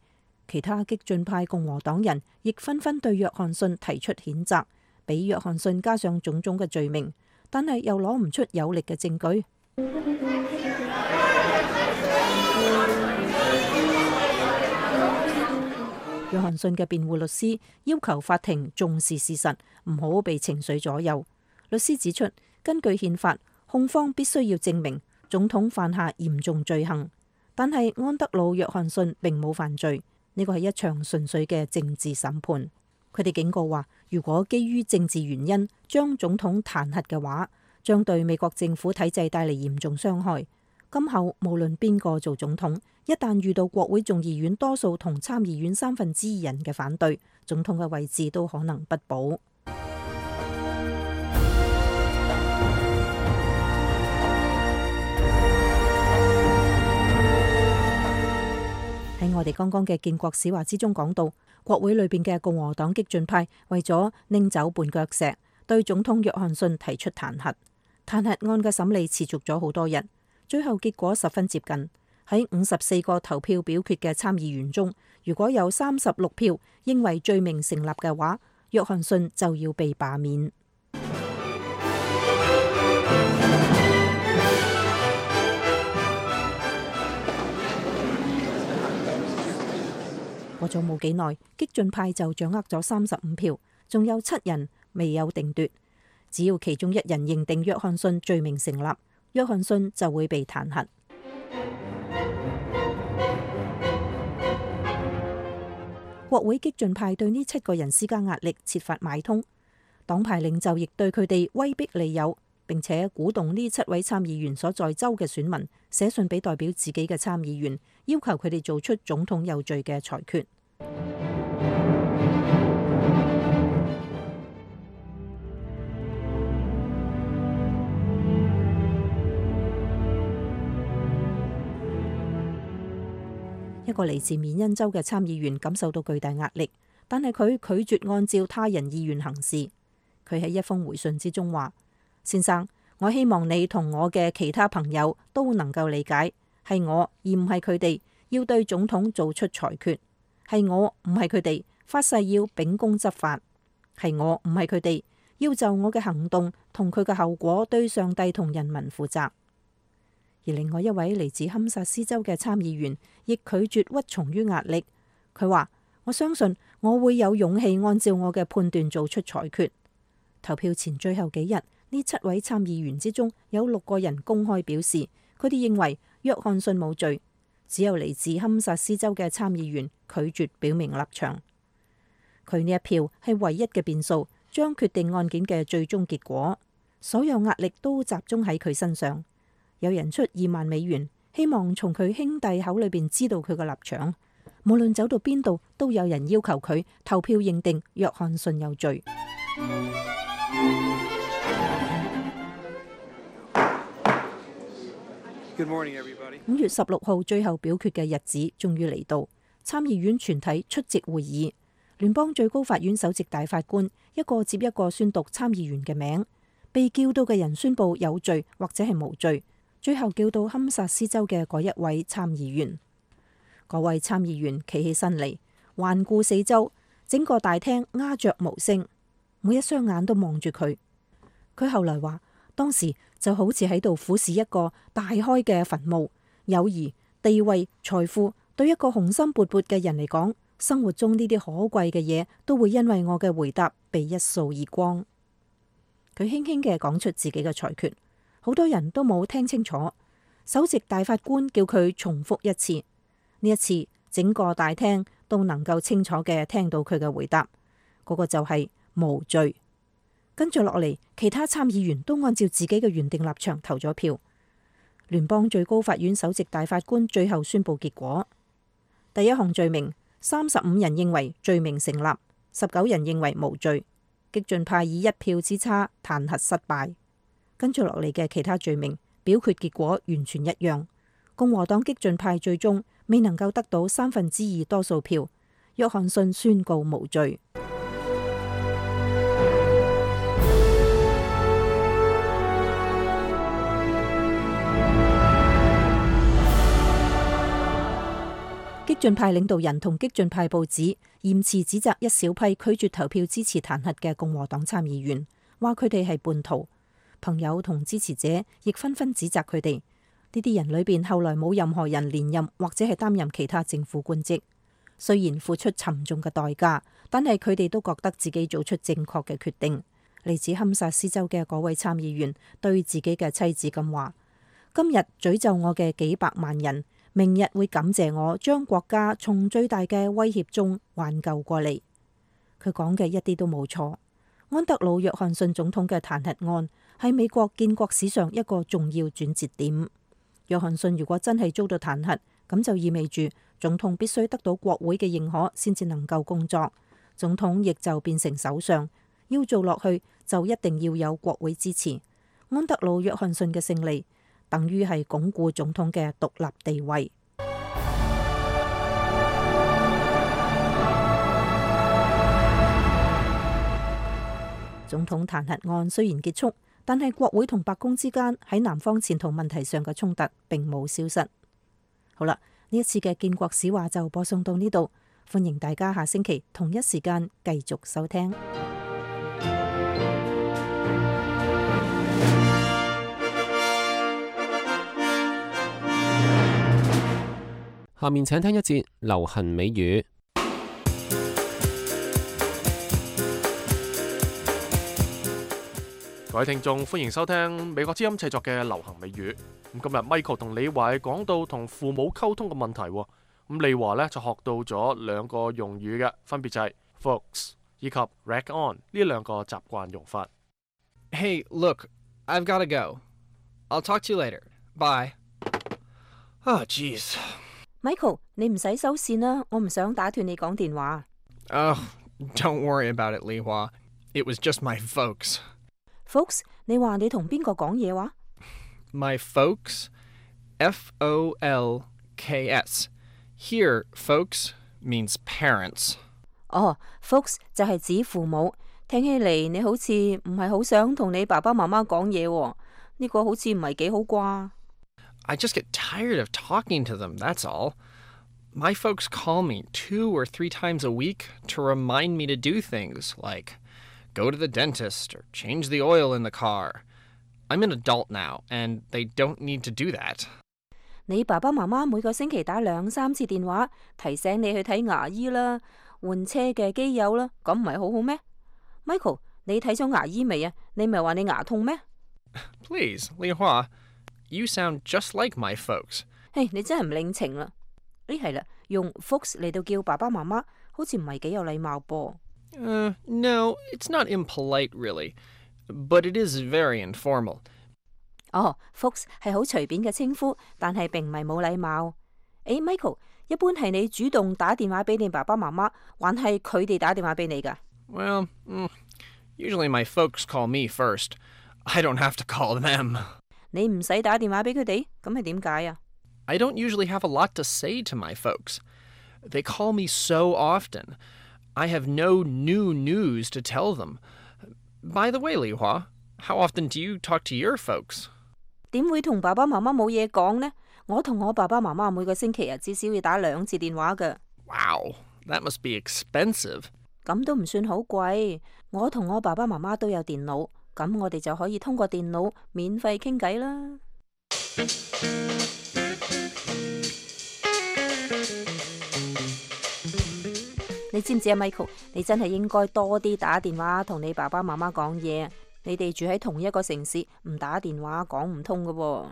其他激進派共和黨人亦紛紛對約翰遜提出譴責，俾約翰遜加上種種嘅罪名，但係又攞唔出有力嘅證據。約翰遜嘅辯護律師要求法庭重視事實，唔好被情緒左右。律師指出，根據憲法，控方必須要證明總統犯下嚴重罪行，但係安德魯約翰遜並冇犯罪。呢個係一場純粹嘅政治審判。佢哋警告話，如果基於政治原因將總統彈劾嘅話，將對美國政府體制帶嚟嚴重傷害。今後無論邊個做總統，一旦遇到國會眾議院多數同參議院2/3人嘅反對，總統嘅位置都可能不保。喺我哋剛剛嘅建國史話之中講到，國會裏邊嘅共和黨激進派為咗拎走絆腳石，對總統約翰遜提出彈劾。彈劾案嘅審理持續咗好多日，最後結果十分接近。喺54個投票表決嘅參議員中，如果有36票認為罪名成立嘅話，約翰遜就要被罷免。過咗冇幾耐，激進派就掌握咗35票，仲有7人未有定奪。只要其中1人認定約翰遜罪名成立，約翰遜就會被彈劾。國會激進派對呢7個人施加壓力，設法買通。黨派領袖亦對佢哋威逼利誘，並且鼓動呢7位參議員所在州嘅選民寫信俾代表自己嘅參議員，要求佢哋做出總統有罪嘅裁決。一個嚟自緬因州嘅參議員感受到巨大壓力，但係佢拒絕按照他人意願行事。佢喺一封回信之中話：先生，我希望你同我嘅其他朋友都能夠理解，係我而唔係佢哋要對總統做出裁決，係我唔係佢哋發誓要秉公執法，係我唔係佢哋要就我嘅行動同佢嘅後果對上帝同人民負責。而另外一位嚟自堪薩斯州嘅參議員亦拒絕屈從於壓力。佢話：我相信我會有勇氣按照我嘅判斷做出裁決。投票前最後幾日，呢7位參議員之中有6個人公開表示，佢哋認為約翰遜冇罪。只有嚟自堪薩斯州嘅參議員拒絕表明立場。佢呢一票係唯一嘅變數，將決定案件嘅最終結果。所有壓力都集中喺佢身上。有人出$20,000，希望從佢兄弟口裏邊知道佢嘅立場。無論走到邊度，都有人要求佢投票認定約翰遜有罪。5月16號最後表決嘅日子終於嚟到，參議院全體出席會議。聯邦最高法院首席大法官一個接一個宣讀參議員嘅名，被叫到嘅人宣布有罪或者係無罪。最後叫到堪薩斯州嘅嗰一位參議員，嗰位參議員企起身嚟，環顧四周，整個大廳鴉雀無聲，每一雙眼都望住佢。佢後來話，當時就好似喺度俯視一個大開嘅墳墓。友誼、地位、財富對一個雄心勃勃嘅人嚟講，生活中呢啲可貴嘅嘢都會因為我嘅回答被一掃而光。佢輕輕嘅講出自己嘅裁決。好多人都冇聽清楚，首席大法官叫佢重複一次。呢一次，整個大廳都能夠清楚嘅聽到佢嘅回答，嗰個就係無罪。跟住落嚟，其他參議員都按照自己嘅原定立場投咗票。聯邦最高法院首席大法官最後宣布結果：第一項罪名，35人認為罪名成立，19人認為無罪。激進派以1票之差彈劾失敗。跟住落嚟嘅其他罪名，表決結果完全一樣。共和黨激進派最終未能夠得到2/3多數票，約翰遜宣告無罪。激進派領導人同激進派報紙嚴詞指責一小批拒絕投票支持彈劾嘅共和黨參議員，話佢哋係叛徒。朋友同支持者亦紛紛指責佢哋。呢啲人裏邊後來冇任何人連任或者係擔任其他政府官職，雖然付出沉重嘅代價，但係佢哋都覺得自己做出正確嘅決定。嚟自堪薩斯州嘅嗰位參議員對自己嘅妻子咁話：今日詛咒我嘅幾百萬人，明日會感謝我將國家從最大嘅威脅中挽救過嚟。佢講嘅一啲都冇錯。安德魯·約翰遜總統嘅彈劾案係美國建國史上一個重要轉折點。約翰遜如果真係遭到彈劾，咁就意味住總統必須得到國會嘅認可先至能夠工作，總統亦就變成首相，要做落去就一定要有國會支持。安德魯·約翰遜嘅勝利等於係鞏固總統嘅獨立地位。總統彈劾案雖然結束，但係國會同白宮之間喺南方前途問題上嘅衝突並冇消失。好啦，呢一次嘅建國史話就播送到呢度，歡迎大家下星期同一時間繼續收聽。下面請聽一節流行美語。各位聽眾，歡迎收聽美國之音製作嘅流行美語。咁今日 Michael 同李華講到同父母溝通嘅問題。咁李華呢就學到咗兩個用語嘅，分別就係 folks 以及 rag on 呢兩個習慣用法。Hey, look, I've got to go. I'll talk to you later. Bye. Oh, jeez.Michael， 你唔使收線啦，我唔想打斷你講電話。Oh, don't worry about it, Li Hua. It was just my folks. Folks， 你話你同邊個講嘢話 ？My folks, F-O-L-K-S. Here, folks means parents. 哦 ，folks 就係指父母。聽起嚟你好似唔係好想同你爸爸媽媽講嘢喎，呢個好似唔係幾好啩。I just get tired of talking to them, that's all. My folks call me 2 or 3 times a week to remind me to do things like go to the dentist or change the oil in the car. I'm an adult now, and they don't need to do that. 你爸爸媽媽每個星期打2、3次電話，提醒你去睇牙醫啦，換車嘅機油啦，咁唔係好好咩 ？Michael， 你睇咗牙醫未啊？你咪話你牙痛咩 ？Please, Li Hua.You sound just like my folks. 嘿，你真係唔領情啦！係啦，用 folks 嚟到叫爸爸媽媽，好似唔係幾有禮貌噃。No, it's not impolite really, but it is very informal. 哦 ，folks 係好隨便嘅稱呼，但係並唔係冇禮貌。Michael， 一般係你主動打電話俾你爸爸媽媽，還係佢哋打電話俾你㗎 ？Well, usually my folks call me first. I don't have to call them.你唔使打電話俾佢哋，咁係點解啊 ？I don't usually have a lot to say to my folks. They call me so often. I have no new news to tell them. By the way, Li Hua, how often do you talk to your folks? 點會同爸爸媽媽冇嘢講呢？我同我爸爸媽媽每個星期至少要打2次電話㗎。Wow, that must be expensive. 咁都唔算好貴。我同我爸爸媽媽都有電腦。咁我哋就可以通過電腦免費傾偈啦。你知唔知啊 ，Michael？ 你真係應該多啲打電話同你爸爸媽媽講嘢。你哋住喺同一個城市，唔打電話講唔通㗎喎。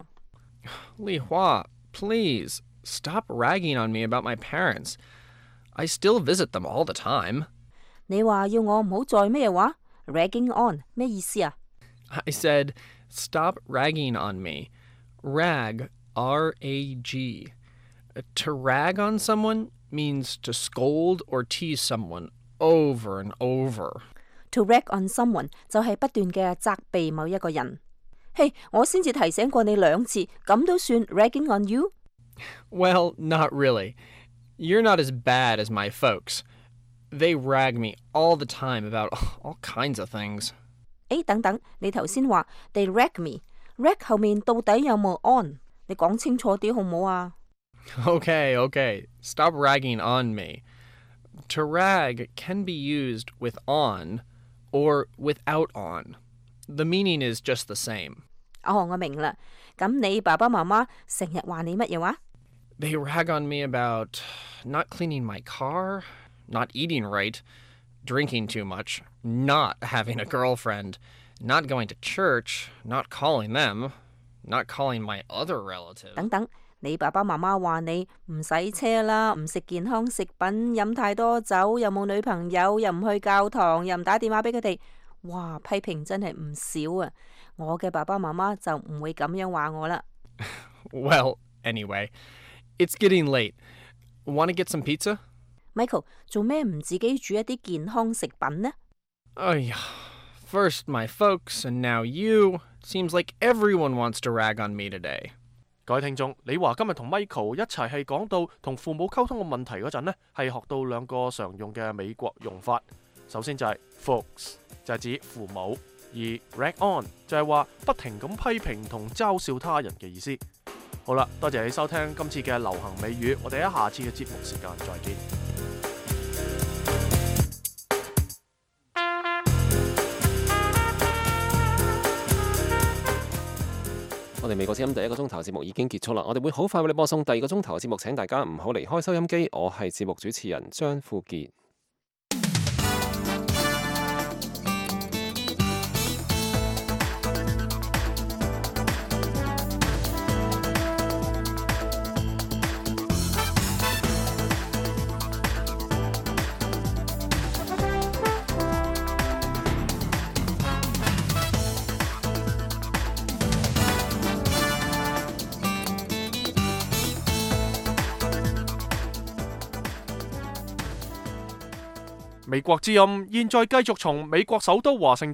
Li Hua, please stop ragging on me about my parents. I still visit them all the time. 你話要我唔好再咩話？ Ragging on 咩意思啊 I said, stop ragging on me. Rag, R-A-G. To rag on someone means to scold or tease someone over and over. To rag on someone 就係不斷嘅責備某一個人。嘿，我先至提醒過你2次，咁都算 ragging on you？ Well, not really. You're not as bad as my folks.They rag me all the time about all kinds of things. 等等，你頭先話 they rag me，rag 後面到底有冇 on？ 你講清楚啲好唔好啊 Okay, stop ragging on me. To rag can be used with on or without on. The meaning is just the same. 哦，我明啦。咁你爸爸媽媽成日話你乜嘢話 They rag on me about not cleaning my car.Not eating right, drinking too much, not having a girlfriend, not going to church, not calling them, not calling my other relatives. 等等，你爸爸媽媽話你唔洗車啦，唔食健康食品，飲太多酒，又冇女朋友，又唔去教堂，又唔打電話俾佢哋。哇，批評真係唔少啊！我嘅爸爸媽媽就唔會咁樣話我啦。Well, anyway, it's getting late. Want to get some pizza?Michael, 做咩唔自己煮一啲健康食品呢？First my folks and now you. Seems like everyone wants to rag on me today. 各位聽眾，李華今日同 Michael 一齊係講到同父母溝通嘅問題嗰陣呢，係學到2個常用嘅美國用法。首先就係 folks。就係指父母，而 rag on 就係話不停咁批評同嘲笑他人嘅意思。好啦，多謝你收聽今次嘅流行美語，我哋喺下次嘅節目時間再見。我哋美國之音第一個鐘頭節目已經結束啦，我哋會好快為你播送第二個鐘頭嘅節目，請大家唔好離開收音機。我係節目主持人張富傑。美國之音現在繼續從美國首都華盛